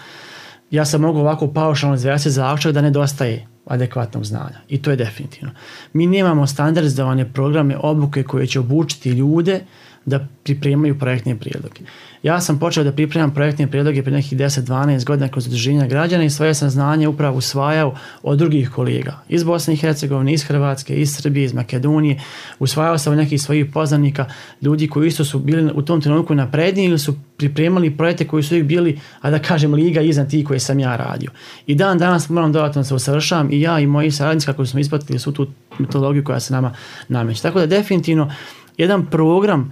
ja sam mogu ovako paušalno izvesti zaključak da nedostaje adekvatnog znanja i to je definitivno. Mi nemamo standardizovane programe obuke koje će obučiti ljude da pripremaju projektne prijedloge. Ja sam počeo da pripremam projektne prijedloge prije nekih deset do dvanaest godina kroz udruženja građana i svoje sam znanje upravo usvajao od drugih kolega iz Bosne i Hercegovine, iz Hrvatske, iz Srbije, iz Makedonije. Usvajao sam od nekih svojih poznanika, ljudi koji isto su bili u tom trenutku napredniji ili su pripremali projekte koji su uvijek bili, a da kažem, liga iznad tih koje sam ja radio. I dan danas moram dodatno se usavršavam i ja i moji saradnici kako smo ispratili su tu metodologiju koja se nama nameće. Tako da definitivno jedan program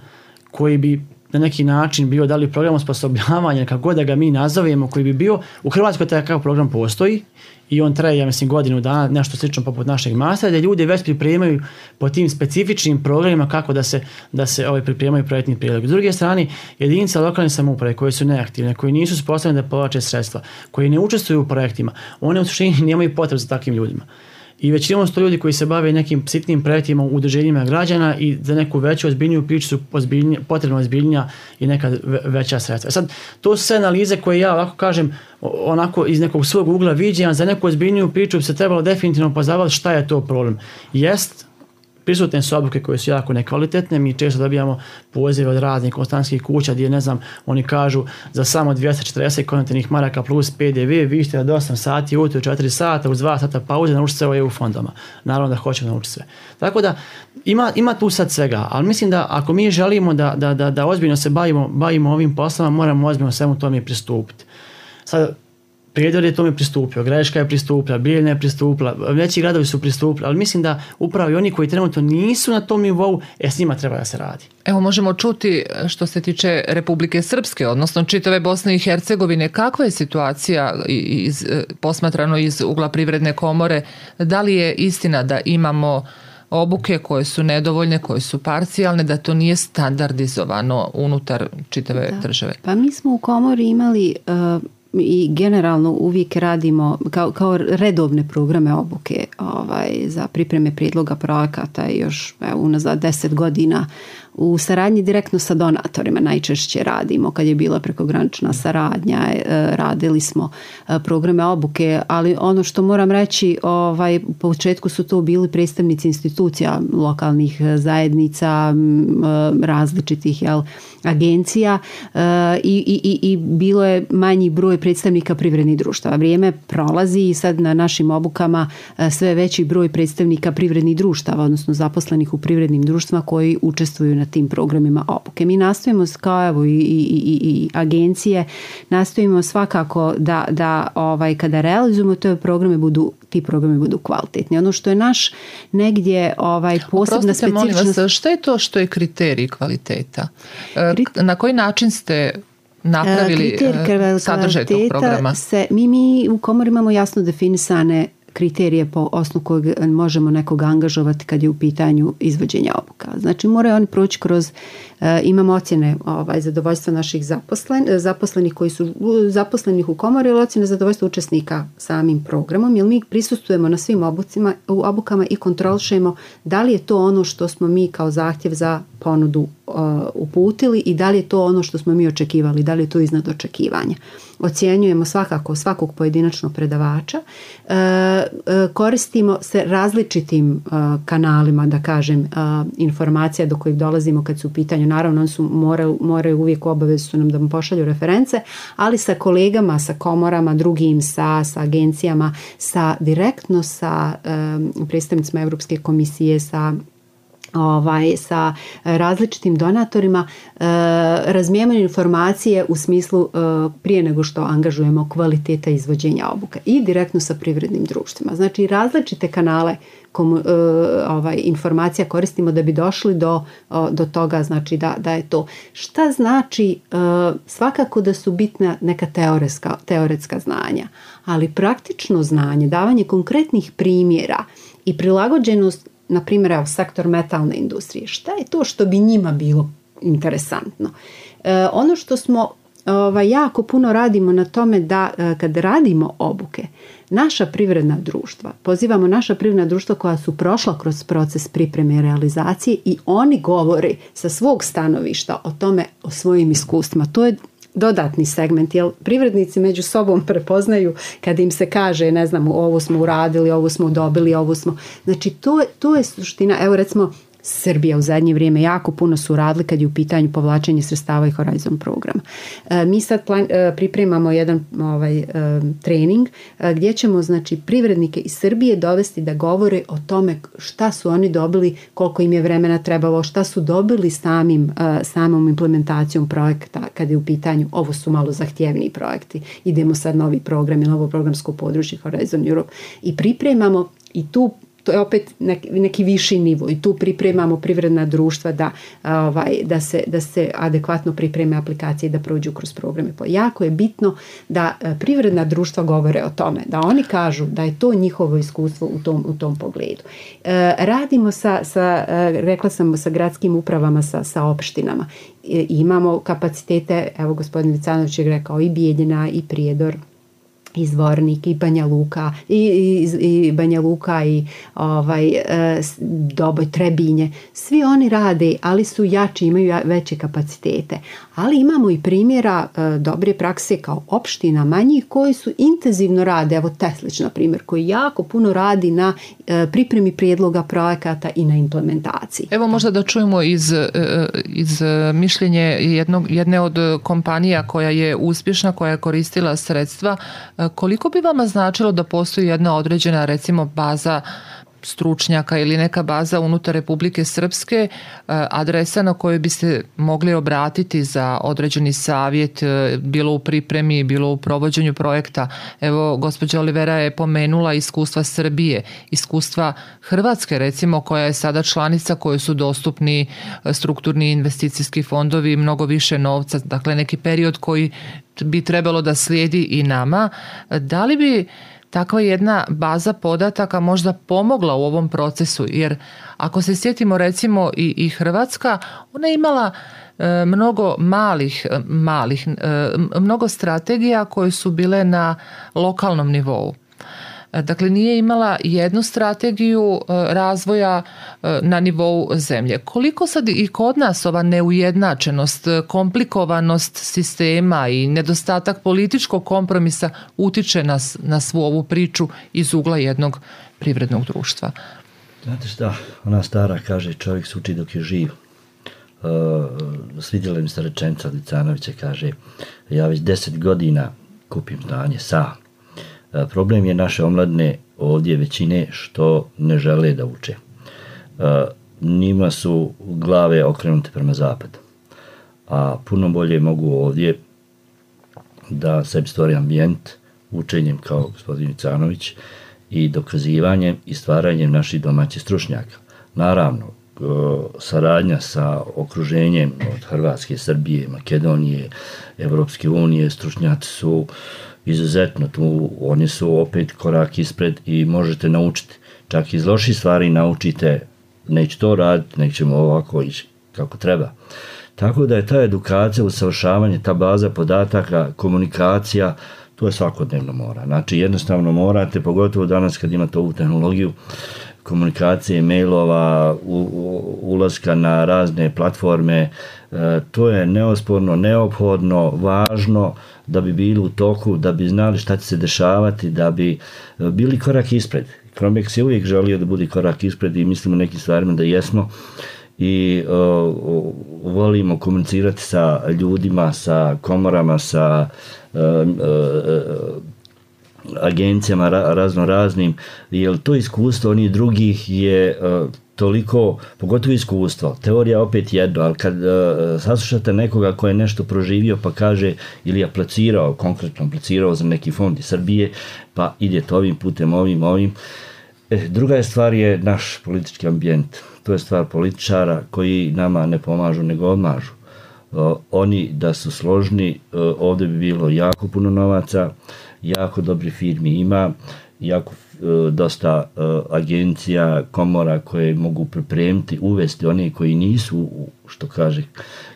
koji bi na neki način bio da li program osposobljavanja, kako god da ga mi nazovemo, koji bi bio, u Hrvatskoj takav program postoji i on traje, ja mislim, godinu dana, nešto slično poput našeg mastera, da ljudi već pripremaju po tim specifičnim programima kako da se, da se ovaj, pripremaju projektni prijedlog. S druge strane, jedinice lokalne samouprave koje su neaktivne, koji nisu sposobne da povlače sredstva, koji ne učestvuju u projektima, one u suštini nemaju potrebu za takvim ljudima. I većinom su to ljudi koji se bave nekim sitnim projektima u udruženjima građana i za neku veću ozbiljniju priču su potrebno ozbiljnija i neka veća sredstva. Sad, to su sve analize koje ja ovako kažem onako iz nekog svog ugla viđenja, za neku ozbiljniju priču bi se trebalo definitivno pozabaviti šta je to problem. Jest, prisutne su obuke koje su jako nekvalitetne, mi često dobijamo pozive od raznih konstantskih kuća gdje, ne znam, oni kažu za samo dvjesto četrdeset konvertnih maraka plus P D V, vi ćete od osam sati ujutro četiri sata uz dva sata pauze naučiti sve o E U fondama. Naravno da hoćemo naučiti sve. Tako da ima, ima tu sad svega, ali mislim da ako mi želimo da, da, da, da ozbiljno se bavimo, bavimo ovim poslama, moramo ozbiljno svemu tome pristupiti. Sad, Prijedor je tome pristupio, Greška je pristupila, Bijeljina je pristupila, veći gradovi su pristupili, ali mislim da upravo i oni koji trenutno nisu na tom nivou, e, s njima treba da se radi. Evo možemo čuti što se tiče Republike Srpske, odnosno čitave Bosne i Hercegovine, kakva je situacija iz, posmatrano iz ugla Privredne komore, da li je istina da imamo obuke koje su nedovoljne, koje su parcijalne, da to nije standardizovano unutar čitave da. države? Pa mi smo u komori imali uh, i generalno uvijek radimo kao, kao redovne programe obuke ovaj, za pripreme prijedloga projekata još evo, unazad deset godina u saradnji direktno sa donatorima najčešće radimo. Kad je bila prekogranična saradnja, radili smo programe obuke, ali ono što moram reći, ovaj, u početku su to bili predstavnici institucija lokalnih zajednica, različitih jel, agencija i, i, i bilo je manji broj predstavnika privrednih društava. Vrijeme prolazi i sad na našim obukama sve veći broj predstavnika privrednih društava, odnosno zaposlenih u privrednim društvima koji učestvuju na tim programima obuke. Mi nastojimo kao evo i, i, i, i agencije, nastojimo svakako da, da ovaj, kada realizujemo te programe budu, ti programi budu kvalitetni. Ono što je naš negdje ovaj, posebna specifičnost... Molim vas, šta je to što je kriterij kvaliteta? Na koji način ste napravili sadržaj tog programa? Se, mi, mi u komori imamo jasno definisane kriterije po osnovu kojeg možemo nekog angažovati kad je u pitanju izvođenja obuka. Znači moraju oni proći kroz, e, imamo ocjene ovaj, zadovoljstva naših zaposlen, zaposlenih koji su zaposlenih u komori, ili ocjene zadovoljstva učesnika samim programom, jer mi prisustujemo na svim obucima, obukama i kontrolišemo da li je to ono što smo mi kao zahtjev za ponudu uh, uputili i da li je to ono što smo mi očekivali, da li je to iznad očekivanja. Ocjenjujemo svakako svakog pojedinačnog predavača, uh, uh, koristimo se različitim uh, kanalima, da kažem, uh, informacija do kojih dolazimo kad su u pitanju, naravno oni su moraju, moraju uvijek obavezu su nam da mu pošalju reference, ali sa kolegama, sa komorama, drugim, sa, sa agencijama, sa direktno sa um, predstavnicima Europske komisije, sa Ovaj, sa različitim donatorima e, razmijevamo informacije u smislu e, prije nego što angažujemo kvaliteta izvođenja obuka i direktno sa privrednim društvima. Znači različite kanale komu, e, ovaj, informacija koristimo da bi došli do, o, do toga, znači da, da je to. Šta znači e, svakako da su bitna neka teoretska, teoretska znanja, ali praktično znanje, davanje konkretnih primjera i prilagođenost, na primjer, evo, sektor metalne industrije. Šta je to što bi njima bilo interesantno? E, ono što smo ovaj, jako puno radimo na tome da e, kad radimo obuke, naša privredna društva, pozivamo naša privredna društva koja su prošla kroz proces pripreme i realizacije i oni govore sa svog stanovišta o tome, o svojim iskustvima. To je dodatni segment, jer privrednici među sobom prepoznaju kada im se kaže, ne znam, ovo smo uradili, ovo smo dobili, ovo smo... Znači, to, to je suština. Evo, recimo, Srbija u zadnje vrijeme jako puno su radili kad je u pitanju povlačenje sredstava i Horizon programa. E, mi sad plan, e, pripremamo jedan ovaj, e, trening e, gdje ćemo, znači, privrednike iz Srbije dovesti da govore o tome šta su oni dobili, koliko im je vremena trebalo, šta su dobili samim, e, samom implementacijom projekta kad je u pitanju, ovo su malo zahtjevniji projekti, idemo sad novi program ili novo programsko područje Horizon Europe i pripremamo i tu to je opet neki, neki viši nivo i tu pripremamo privredna društva da, ovaj, da, se, da se adekvatno pripreme aplikacije i da prođu kroz programe. Jako je bitno da privredna društva govore o tome, da oni kažu da je to njihovo iskustvo u tom, u tom pogledu. E, radimo sa, sa, rekla sam, sa gradskim upravama, sa, sa opštinama. E, imamo kapacitete, evo gospodin Vicanović je rekao, i Bijeljina i Prijedor, i Zvornik i Banja Luka i, i, i Banja Luka i ovaj, e, Doboj, Trebinje. Svi oni rade, ali su jači, imaju veće kapacitete. Ali imamo i primjera e, dobre prakse kao opština manjih koji su intenzivno rade. Evo Teslić, na primjer, koji jako puno radi na e, pripremi prijedloga projekata i na implementaciji. Evo možda da čujemo iz, iz mišljenje jednog, jedne od kompanija koja je uspješna, koja je koristila sredstva. Koliko bi vama značilo da postoji jedna određena, recimo, baza stručnjaka ili neka baza unutar Republike Srpske, adresa na kojoj biste mogli obratiti za određeni savjet, bilo u pripremi, bilo u provođenju projekta? Evo, gospođa Olivera je pomenula iskustva Srbije, iskustva Hrvatske, recimo, koja je sada članica, kojoj su dostupni strukturni investicijski fondovi, mnogo više novca, dakle neki period koji bi trebalo da slijedi i nama. Da li bi takva jedna baza podataka možda pomogla u ovom procesu? Jer ako se sjetimo recimo i, i Hrvatska, ona je imala e, mnogo malih, malih e, mnogo strategija koje su bile na lokalnom nivou. Dakle, nije imala jednu strategiju razvoja na nivou zemlje. Koliko sad i kod nas ova neujednačenost, komplikovanost sistema i nedostatak političkog kompromisa utiče na, na svu ovu priču iz ugla jednog privrednog društva? Znate šta, ona stara kaže, čovjek se uči dok je živ. Uh, svidjela mi se rečenica od Licanovića, kaže, ja već deset godina kupim znanje sam. Problem je naše omladne ovdje većine što ne žele da uče. Njima su glave okrenute prema zapadu. A puno bolje mogu ovdje da sebi stvori ambijent učenjem kao gospodin Canović i dokazivanjem i stvaranjem naših domaćih stručnjaka. Naravno, saradnja sa okruženjem od Hrvatske, Srbije, Makedonije, Evropske unije, stručnjaci su izuzetno tu, oni su opet korak ispred i možete naučiti. Čak iz loših stvari naučite, neće to raditi, nećemo ovako ići kako treba. Tako da je ta edukacija, usavršavanje, ta baza podataka, komunikacija, to je svakodnevno mora. Znači jednostavno morate, pogotovo danas kad imate ovu tehnologiju, komunikacije, mailova, u, u, ulaska na razne platforme, e, to je neosporno, neophodno, važno da bi bili u toku, da bi znali šta će se dešavati, da bi bili korak ispred. Cromex je uvijek želio da bude korak ispred i mislimo nekim stvarima da jesmo i o, o, volimo komunicirati sa ljudima, sa komorama, sa o, o, agencijama razno raznim, jer to iskustvo onih drugih je uh, toliko, pogotovo iskustvo, teorija opet jedno, ali kad uh, saslušate nekoga ko je nešto proživio pa kaže ili aplicirao, konkretno aplicirao za neki fond iz Srbije, pa idete ovim putem, ovim, ovim. E, druga je stvar je naš politički ambijent. To je stvar političara koji nama ne pomažu nego odmažu. Uh, oni da su složni, uh, ovdje bi bilo jako puno novaca, jako dobri firmi ima, jako uh, dosta uh, agencija, komora koje mogu pripremiti, uvesti one koji nisu, što kaže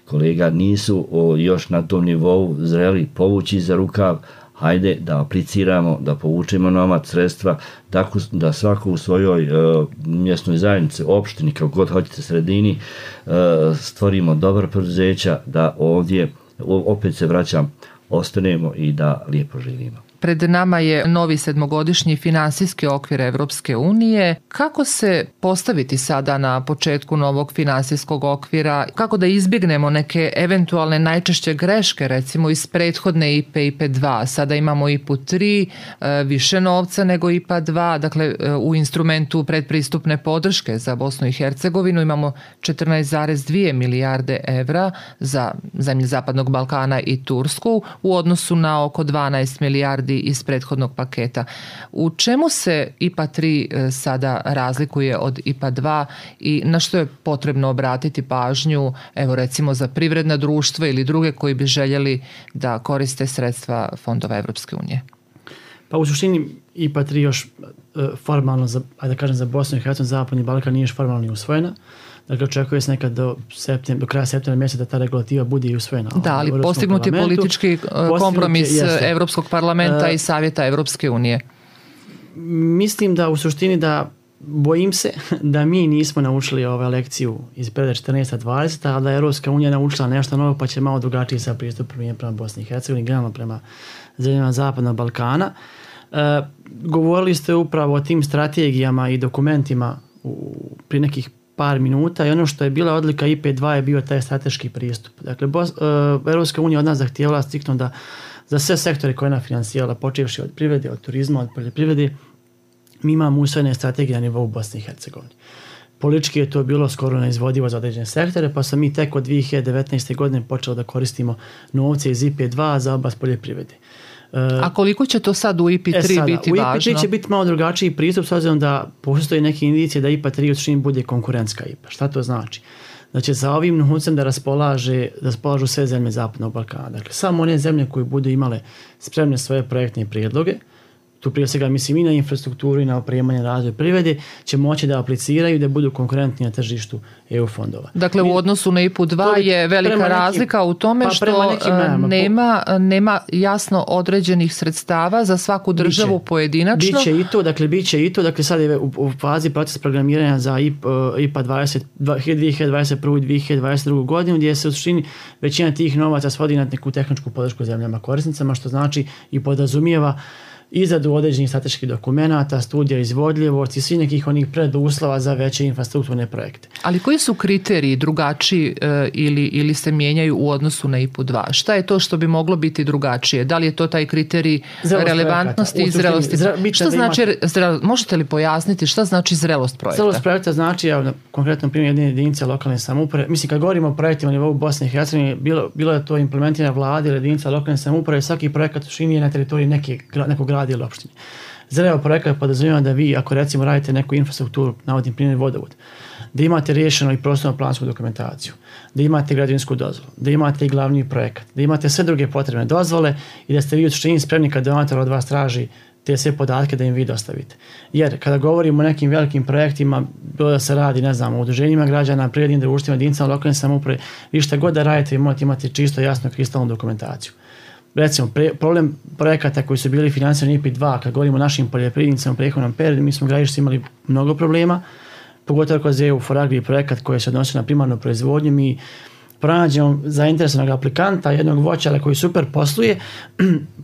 kolega, nisu uh, još na tom nivou zreli povući za rukav, hajde da apliciramo, da povučemo novac, sredstva, tako da svako u svojoj uh, mjesnoj zajednici, opštini, kako god hoćete sredini, uh, stvorimo dobra preduzeća, da ovdje, opet se vraćam, ostanemo i da lijepo živimo. Pred nama je novi sedmogodišnji finansijski okvir Evropske unije. Kako se postaviti sada na početku novog finansijskog okvira? Kako da izbjegnemo neke eventualne najčešće greške, recimo iz prethodne I P E, I P E dva? Sada imamo I P U tri, više novca nego I P A dva. Dakle, u instrumentu predpristupne podrške za Bosnu i Hercegovinu imamo četrnaest zarez dvije milijarde evra za zemlje Zapadnog Balkana i Tursku u odnosu na oko dvanaest milijardi iz prethodnog paketa. U čemu se I P A tri sada razlikuje od I P A dva i na što je potrebno obratiti pažnju, evo recimo za privredna društva ili druge koji bi željeli da koriste sredstva fondova Evropske unije? Pa u suštini I P A tri još formalno, za, ajde da kažem, za Bosnu i Hercegovinu, Zapadni Balkan nije još formalno ni usvojena. Dakle, očekuje se nekad do, septem, do kraja septembra mjeseca da ta regulativa bude i usvojena. Da, ali postignut je politički kompromis je, Evropskog parlamenta uh, i Savjeta Evropske unije. Mislim da u suštini da bojim se da mi nismo naučili ove lekciju iz perioda četrnaesta dvadeseta, a da je Europska unija naučila nešto novo pa će malo drugačiji sa pristupom prema Bosni i Hercegovini, generalno prema zemljama Zapadnog Balkana. E, govorili ste upravo o tim strategijama i dokumentima u, pri nekih par minuta i ono što je bila odlika I P dva je bio taj strateški pristup. Dakle, Bos, e, Europska unija od nas zahtijevala striktno da za sve sektore koje je ona finansirala, počevši od privrede, od turizma, od poljoprivrede, mi imamo usvojene strategije na nivou Bosne i Hercegovine. Politički je to bilo skoro neizvodivo za određene sektore, pa sam mi tek od dvije hiljade devetnaeste. godine počeli da koristimo novce iz I P dva za oblast poljoprivrede. A koliko će to sad u I P tri e sada, biti važno? U I P tri će biti malo drugačiji pristup s obzirom da postoji neke indicije da I P tri u suštini bude konkurentska I P A. Šta to znači? Da će sa ovim novcem da raspolaže, da raspolažu sve zemlje Zapadnog Balkana. Dakle, samo one zemlje koje budu imale spremne svoje projektne prijedloge, tu prije svega mislim i na infrastrukturu i na opremanje razvoj privrede, će moći da apliciraju da budu konkurentni na tržištu E U fondova. Dakle, u odnosu na I P U dva je velika nekim, razlika u tome pa što nekim, nema, nema jasno određenih sredstava za svaku državu biće, pojedinačno. Biće i to, dakle, biće i to, dakle, sad je u, u fazi proces programiranja za I P A dvadeset, dvije hiljade dvadeset prve. i dvije hiljade dvadeset druge. godinu, gdje se u suštini većina tih novaca svodi na neku tehničku podršku zemljama korisnicama, što znači i podrazumijeva izradu određenih strateških dokumenata, studija izvodljivosti i svih nekih onih preduslova za veće infrastrukturne projekte. Ali koji su kriteriji drugačiji e, ili, ili se mijenjaju u odnosu na I P U dva? Šta je to što bi moglo biti drugačije? Da li je to taj kriterij zrelost relevantnosti i zrelosti? Zre, šta znači, imate... zrel, možete li pojasniti šta znači zrelost projekta? Zrelost projekta znači, ja na konkretnom primjeru jedne jedinice lokalne samouprave, mislim kad govorimo o projektima na nivou Bosne i Hercegovine, bilo, bilo je to implementirana vlada ili jedinica lokalne samouprave, svaki projekat u suštini je na teritoriji neke, nekog grada ili opštine. Zreo projekat podrazumijeva da vi, ako recimo radite neku infrastrukturu, navodim primjer vodovod, da imate riješeno i prostorno plansku dokumentaciju, da imate građevinsku dozvolu, da imate i glavni projekat, da imate sve druge potrebne dozvole i da ste vi u suštini spremni kad donator od vas traži te sve podatke da im vi dostavite. Jer kada govorimo o nekim velikim projektima, bilo da se radi, ne znam, o udruženjima građana, privrednim društvima, jedinicama lokalne samouprave, vi šta god da radite, vi morate imati čisto jasnu kristalnu dokumentaciju. Recimo, pre, problem projekata koji su bili financirani I P dva, kad govorimo o našim poljoprivrednicama u prethodnom periodu, mi smo gradišci imali mnogo problema, pogotovo kroz E U for Agri projekat koji se odnosi na primarnu proizvodnju. Mi pronađemo zainteresovanog aplikanta, jednog voćara koji super posluje,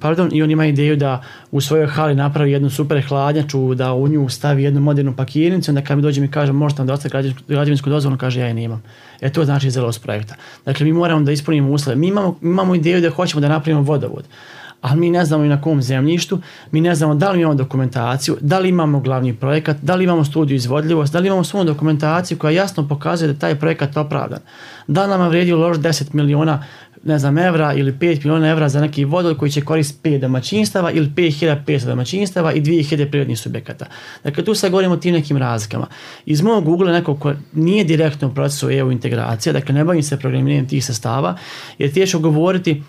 pardon, i on ima ideju da u svojoj hali napravi jednu super hladnjaču, da u nju stavi jednu modernu pakirnicu, onda kad mi dođe mi kaže možete nam da ostaje građevinsku dozvolu, kaže ja je nemam. E to znači zrelost projekta. Dakle, mi moramo da ispunimo uslove. Mi imamo, imamo ideju da hoćemo da napravimo vodovod, ali mi ne znamo i na kom zemljištu, mi ne znamo da li imamo dokumentaciju, da li imamo glavni projekat, da li imamo studiju izvodljivosti, da li imamo svu dokumentaciju koja jasno pokazuje da taj projekat opravdan. Da li nama vredi uložiti deset miliona ne znam, evra ili pet miliona evra za neki vodovod koji će koristiti pet domaćinstava ili pet hiljada petsto domaćinstava i dvije hiljade prirodnih subjekata. Dakle, tu sad govorimo o tim nekim razlikama. Iz mojeg ugla neko ko nije direktno u procesu E U integracija, dakle ne bavim se programiranjem tih sastava, jer teško govoriti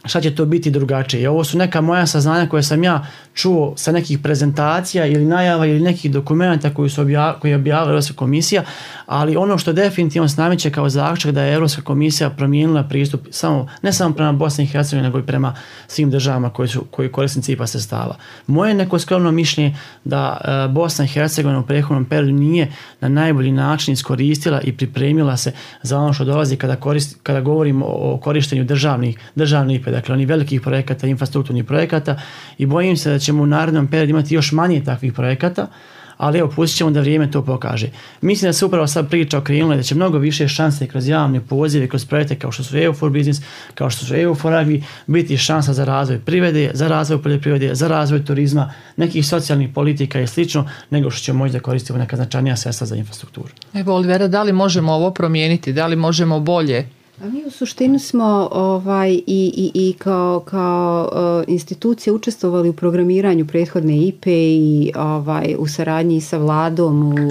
šta će to biti drugačije. I ovo su neka moja saznanja koje sam ja čuo sa nekih prezentacija ili najava ili nekih dokumenta koji su objav, koji je objavila Europska komisija, ali ono što definitivno se nameće kao zaključak da je Europska komisija promijenila pristup samo, ne samo prema Bosni i Hercegovini, nego i prema svim državama koji su koji korisnici I P A sredstava. Moje neko skromno mišljenje da uh, Bosna i Hercegovina u prethodnom periodu nije na najbolji način iskoristila i pripremila se za ono što dolazi kada, korist, kada govorimo o korištenju državnih, državnih I P A, dakle onih velikih projekata, infrastrukturnih projekata, i bojim se da ćemo u narednom periodu imati još manje takvih projekata, ali evo, pustit ćemo da vrijeme to pokaže. Mislim da se upravo sad priča okrenula da će mnogo više šanse kroz javne pozive, kroz projekte kao što su E U for Business, kao što su E U for Agri, biti šansa za razvoj privrede, za razvoj poljoprivrede, za razvoj turizma, nekih socijalnih politika i slično, nego što ćemo moći da koristimo neka značajnija sredstva za infrastrukturu. Evo, Olivera, da li možemo ovo promijeniti? Da li možemo bolje? A mi u suštini smo ovaj, i, i, i kao, kao uh, institucije učestvovali u programiranju prethodne I P E i ovaj, u saradnji sa vladom, u,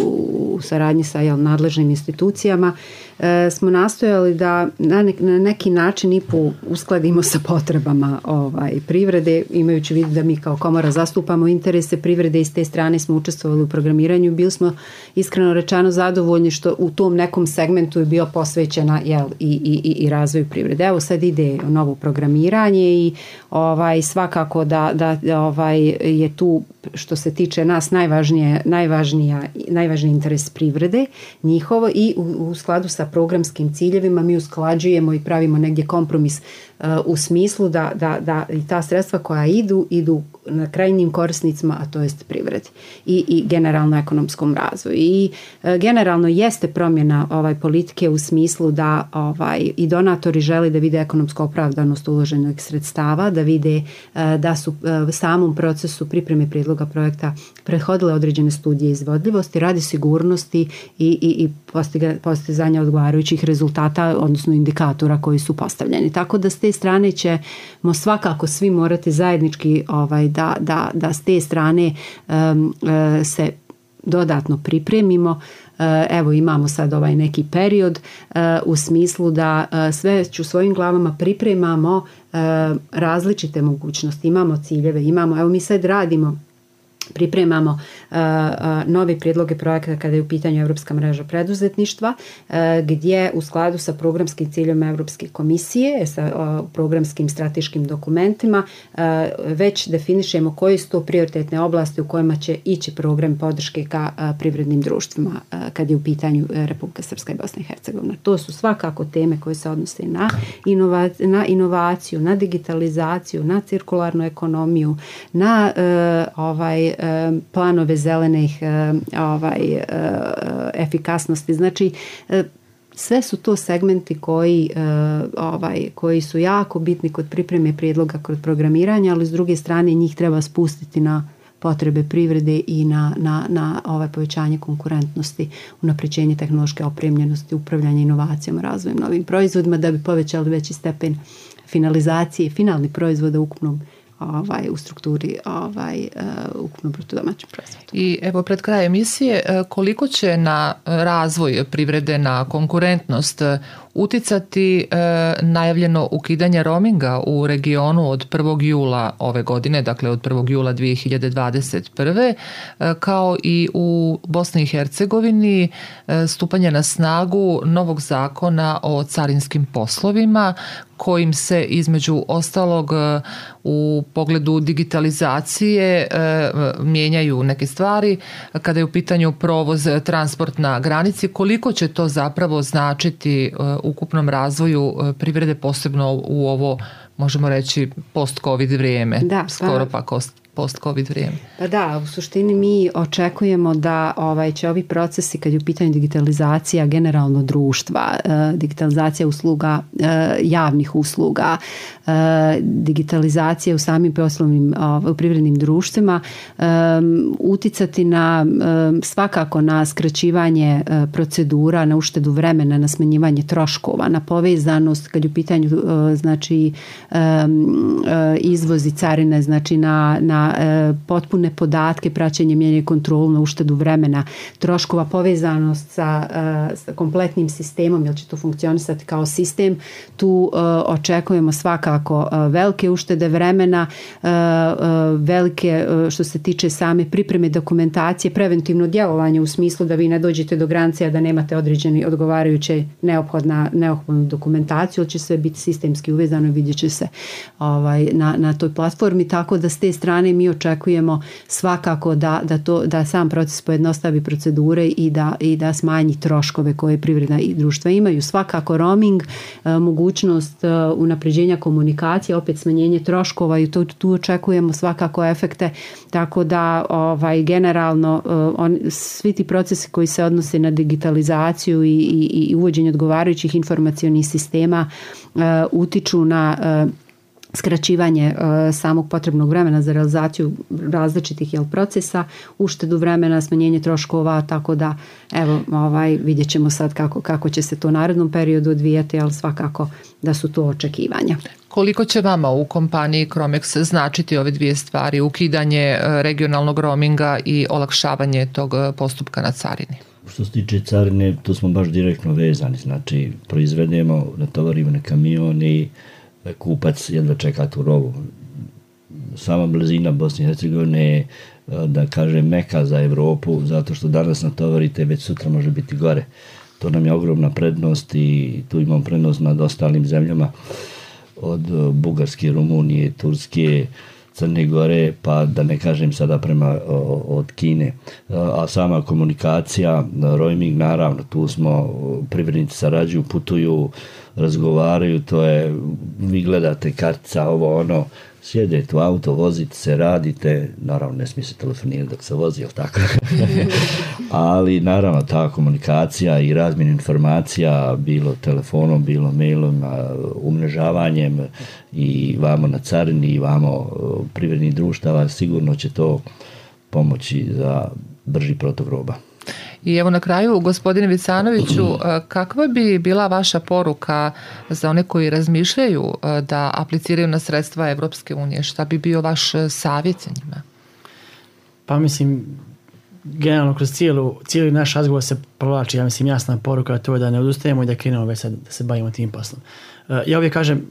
u saradnji sa jel, nadležnim institucijama. e, smo nastojali da na, ne, na neki način i po uskladimo sa potrebama ovaj, privrede, imajući vid da mi kao komora zastupamo interese privrede i s te strane smo učestvovali u programiranju. Bili smo iskreno rečeno zadovoljni što u tom nekom segmentu je bio posvećena jel, i, i, i razvoju privrede. Evo sad ide novo programiranje i ovaj, svakako da, da ovaj, je tu što se tiče nas najvažnije, najvažnija, najvažniji interes privrede njihovo i u, u skladu sa programskim ciljevima mi usklađujemo i pravimo negdje kompromis uh, u smislu da, da, da i ta sredstva koja idu, idu na krajnjim korisnicima, a to jest privredi i, i generalno ekonomskom razvoju. I uh, generalno jeste promjena ovaj, politike u smislu da ovaj, i donatori žele da vide ekonomsku opravdanost uloženog sredstava, da vide uh, da su uh, u samom procesu pripreme prijedloga projekta prethodile određene studije izvodljivosti radi sigurnosti i, i, i postiga, postizanja odgovarajućih rezultata, odnosno indikatora koji su postavljeni. Tako da s te strane ćemo svakako svi morati zajednički ovaj, da, da, da s te strane um, uh, se dodatno pripremimo. Uh, evo imamo sad ovaj neki period uh, u smislu da uh, sve u svojim glavama pripremamo uh, različite mogućnosti, imamo ciljeve, imamo, evo mi sad radimo pripremamo uh, uh, nove prijedloge projekata kada je u pitanju Europska mreža preduzetništva uh, gdje u skladu sa programskim ciljom Europske komisije sa uh, programskim strateškim dokumentima uh, već definišemo koje su to prioritetne oblasti u kojima će ići program podrške ka uh, privrednim društvima uh, kad je u pitanju uh, Republika Srpska i Bosna i Hercegovina. To su svakako teme koje se odnose na, inova, na inovaciju, na digitalizaciju, na cirkularnu ekonomiju, na uh, ovaj planove zelenih ovaj, efikasnosti. Znači, sve su to segmenti koji, ovaj, koji su jako bitni kod pripreme prijedloga kod programiranja, ali s druge strane njih treba spustiti na potrebe privrede i na, na, na ovaj povećanje konkurentnosti, unapređenje tehnološke opremljenosti, upravljanje inovacijama, razvojem novim proizvodima da bi povećali veći stepen finalizacije finalnih proizvoda u ukupnom Ovaj, u strukturi ovaj, uh, ukupno bruto domaćem proizvodu. I evo pred kraj emisije, koliko će na razvoj privrede, na konkurentnost uticati e, najavljeno ukidanje roaminga u regionu od prvog jula ove godine, dakle od prvog jula dvije hiljade dvadeset prve. E, kao i u Bosni i Hercegovini e, stupanje na snagu novog zakona o carinskim poslovima kojim se između ostalog u pogledu digitalizacije e, mijenjaju neke stvari kada je u pitanju provoz, transport na granici. Koliko će to zapravo značiti e, ukupnom razvoju privrede, posebno u ovo, možemo reći, post-covid vrijeme, da, skoro pa post-covid vrijeme? Pa da, u suštini mi očekujemo da ovaj, će ovi procesi, kad je u pitanju digitalizacija generalno društva, eh, digitalizacija usluga, eh, javnih usluga, eh, digitalizacija u samim poslovnim u privrednim društvima, eh, uticati na eh, svakako na skraćivanje eh, procedura, na uštedu vremena, na smanjivanje troškova, na povezanost kad je u pitanju eh, znači eh, izvoz i carine, znači na, na potpune podatke, praćenje, mjerenje, kontrolu, na uštedu vremena, troškova, povezanost sa, sa kompletnim sistemom, jer će to funkcionisati kao sistem. Tu očekujemo svakako velike uštede vremena, velike što se tiče same pripreme dokumentacije, preventivno djelovanje u smislu da vi ne dođete do granice da nemate određeni odgovarajuće neophodna, neophodnu dokumentaciju, ali će sve biti sistemski uvezano i vidjet će se ovaj, na, na toj platformi, tako da s te strane mi očekujemo svakako da, da, to, da sam proces pojednostavi procedure i da, i da smanji troškove koje privredna i društva imaju. Svakako roaming, mogućnost unapređenja komunikacije, opet smanjenje troškova i to, tu očekujemo svakako efekte, tako da ovaj, generalno on, svi ti procesi koji se odnose na digitalizaciju i, i, i uvođenje odgovarajućih informacionih sistema uh, utiču na uh, skraćivanje uh, samog potrebnog vremena za realizaciju različitih jel, procesa, uštedu vremena, smanjenje troškova, tako da evo ovaj, vidjet ćemo sad kako, kako će se to u narednom periodu odvijati, ali svakako da su to očekivanja. Koliko će vama u kompaniji Cromex značiti ove dvije stvari, ukidanje regionalnog roaminga i olakšavanje tog postupka na carini? Što se tiče carine, tu smo baš direktno vezani, znači proizvedemo, natovarimo na kamion i kupac jedva čeka tu robu. Sama blizina Bosne i Hercegovine je, da kažem, meka za Evropu, zato što danas natovarite, već sutra može biti gore. To nam je ogromna prednost i tu imamo prednost nad ostalim zemljama od Bugarske, Rumunije, Turske, Crne Gore, pa da ne kažem sada prema od Kine. A sama komunikacija, roaming, naravno, tu smo, privrednici sarađuju, putuju, razgovaraju, to je, vi gledate kartica, ovo ono, sjedete u auto, vozite se, radite, naravno ne smije se telefonirati dok se vozi, jel tako? Ali naravno ta komunikacija i razmjena informacija, bilo telefonom, bilo mailom, umrežavanjem i vamo na carini i vamo privrednih društava, sigurno će to pomoći za brži protok roba. I evo na kraju, gospodine Vicanoviću, kakva bi bila vaša poruka za one koji razmišljaju da apliciraju na sredstva Evropske unije? Šta bi bio vaš savjet za njima? Pa mislim, generalno kroz cijelu, cijeli naš razgovor se provlači, ja mislim, jasna poruka, to je da ne odustajemo i da krenemo već sad da se bavimo tim poslom. Ja uvijek kažem,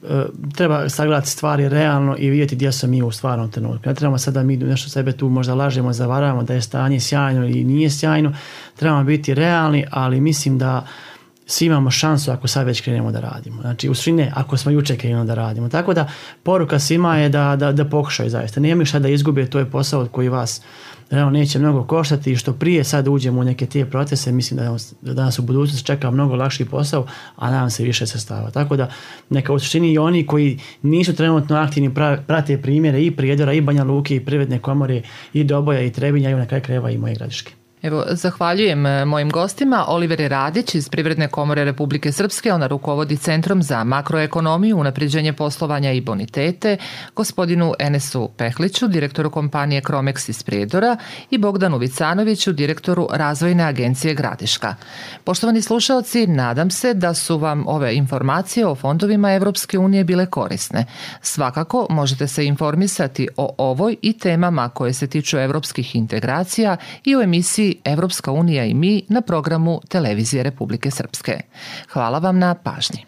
treba sagledati stvari realno i vidjeti gdje smo mi u stvarnom trenutku. Ne trebamo sad da mi nešto sebe tu možda lažemo, zavaramo da je stanje sjajno ili nije sjajno. Trebamo biti realni, ali mislim da svi imamo šansu ako sad već krenemo da radimo. Znači, u suštini ako smo jučer krenuli da radimo. Tako da poruka svima je da, da, da pokušaju zaista. Nemoj šta da izgube, to je posao koji vas realno neće mnogo koštati i što prije sad uđemo u neke te procese, mislim da, da danas u budućnosti čeka mnogo lakši posao, a nam se više sredstava. Tako da neka u suštini i oni koji nisu trenutno aktivni prate primjere i Prijedora i Banja Luke i Privredne komore i Doboja i Trebinja i na kraju krajeva i moje Gradiške. Evo, zahvaljujem mojim gostima. Oliver Radić iz Privredne komore Republike Srpske, ona rukovodi Centrom za makroekonomiju, unapređenje poslovanja i bonitete, gospodinu Enesu Pehliću, direktoru kompanije Cromex iz Prijedora i Bogdanu Vicanoviću, direktoru Razvojne agencije Gradiška. Poštovani slušalci, nadam se da su vam ove informacije o fondovima Evropske unije bile korisne. Svakako možete se informisati o ovoj i temama koje se tiču evropskih integracija i o emisiji Evropska unija i mi na programu Televizije Republike Srpske. Hvala vam na pažnji.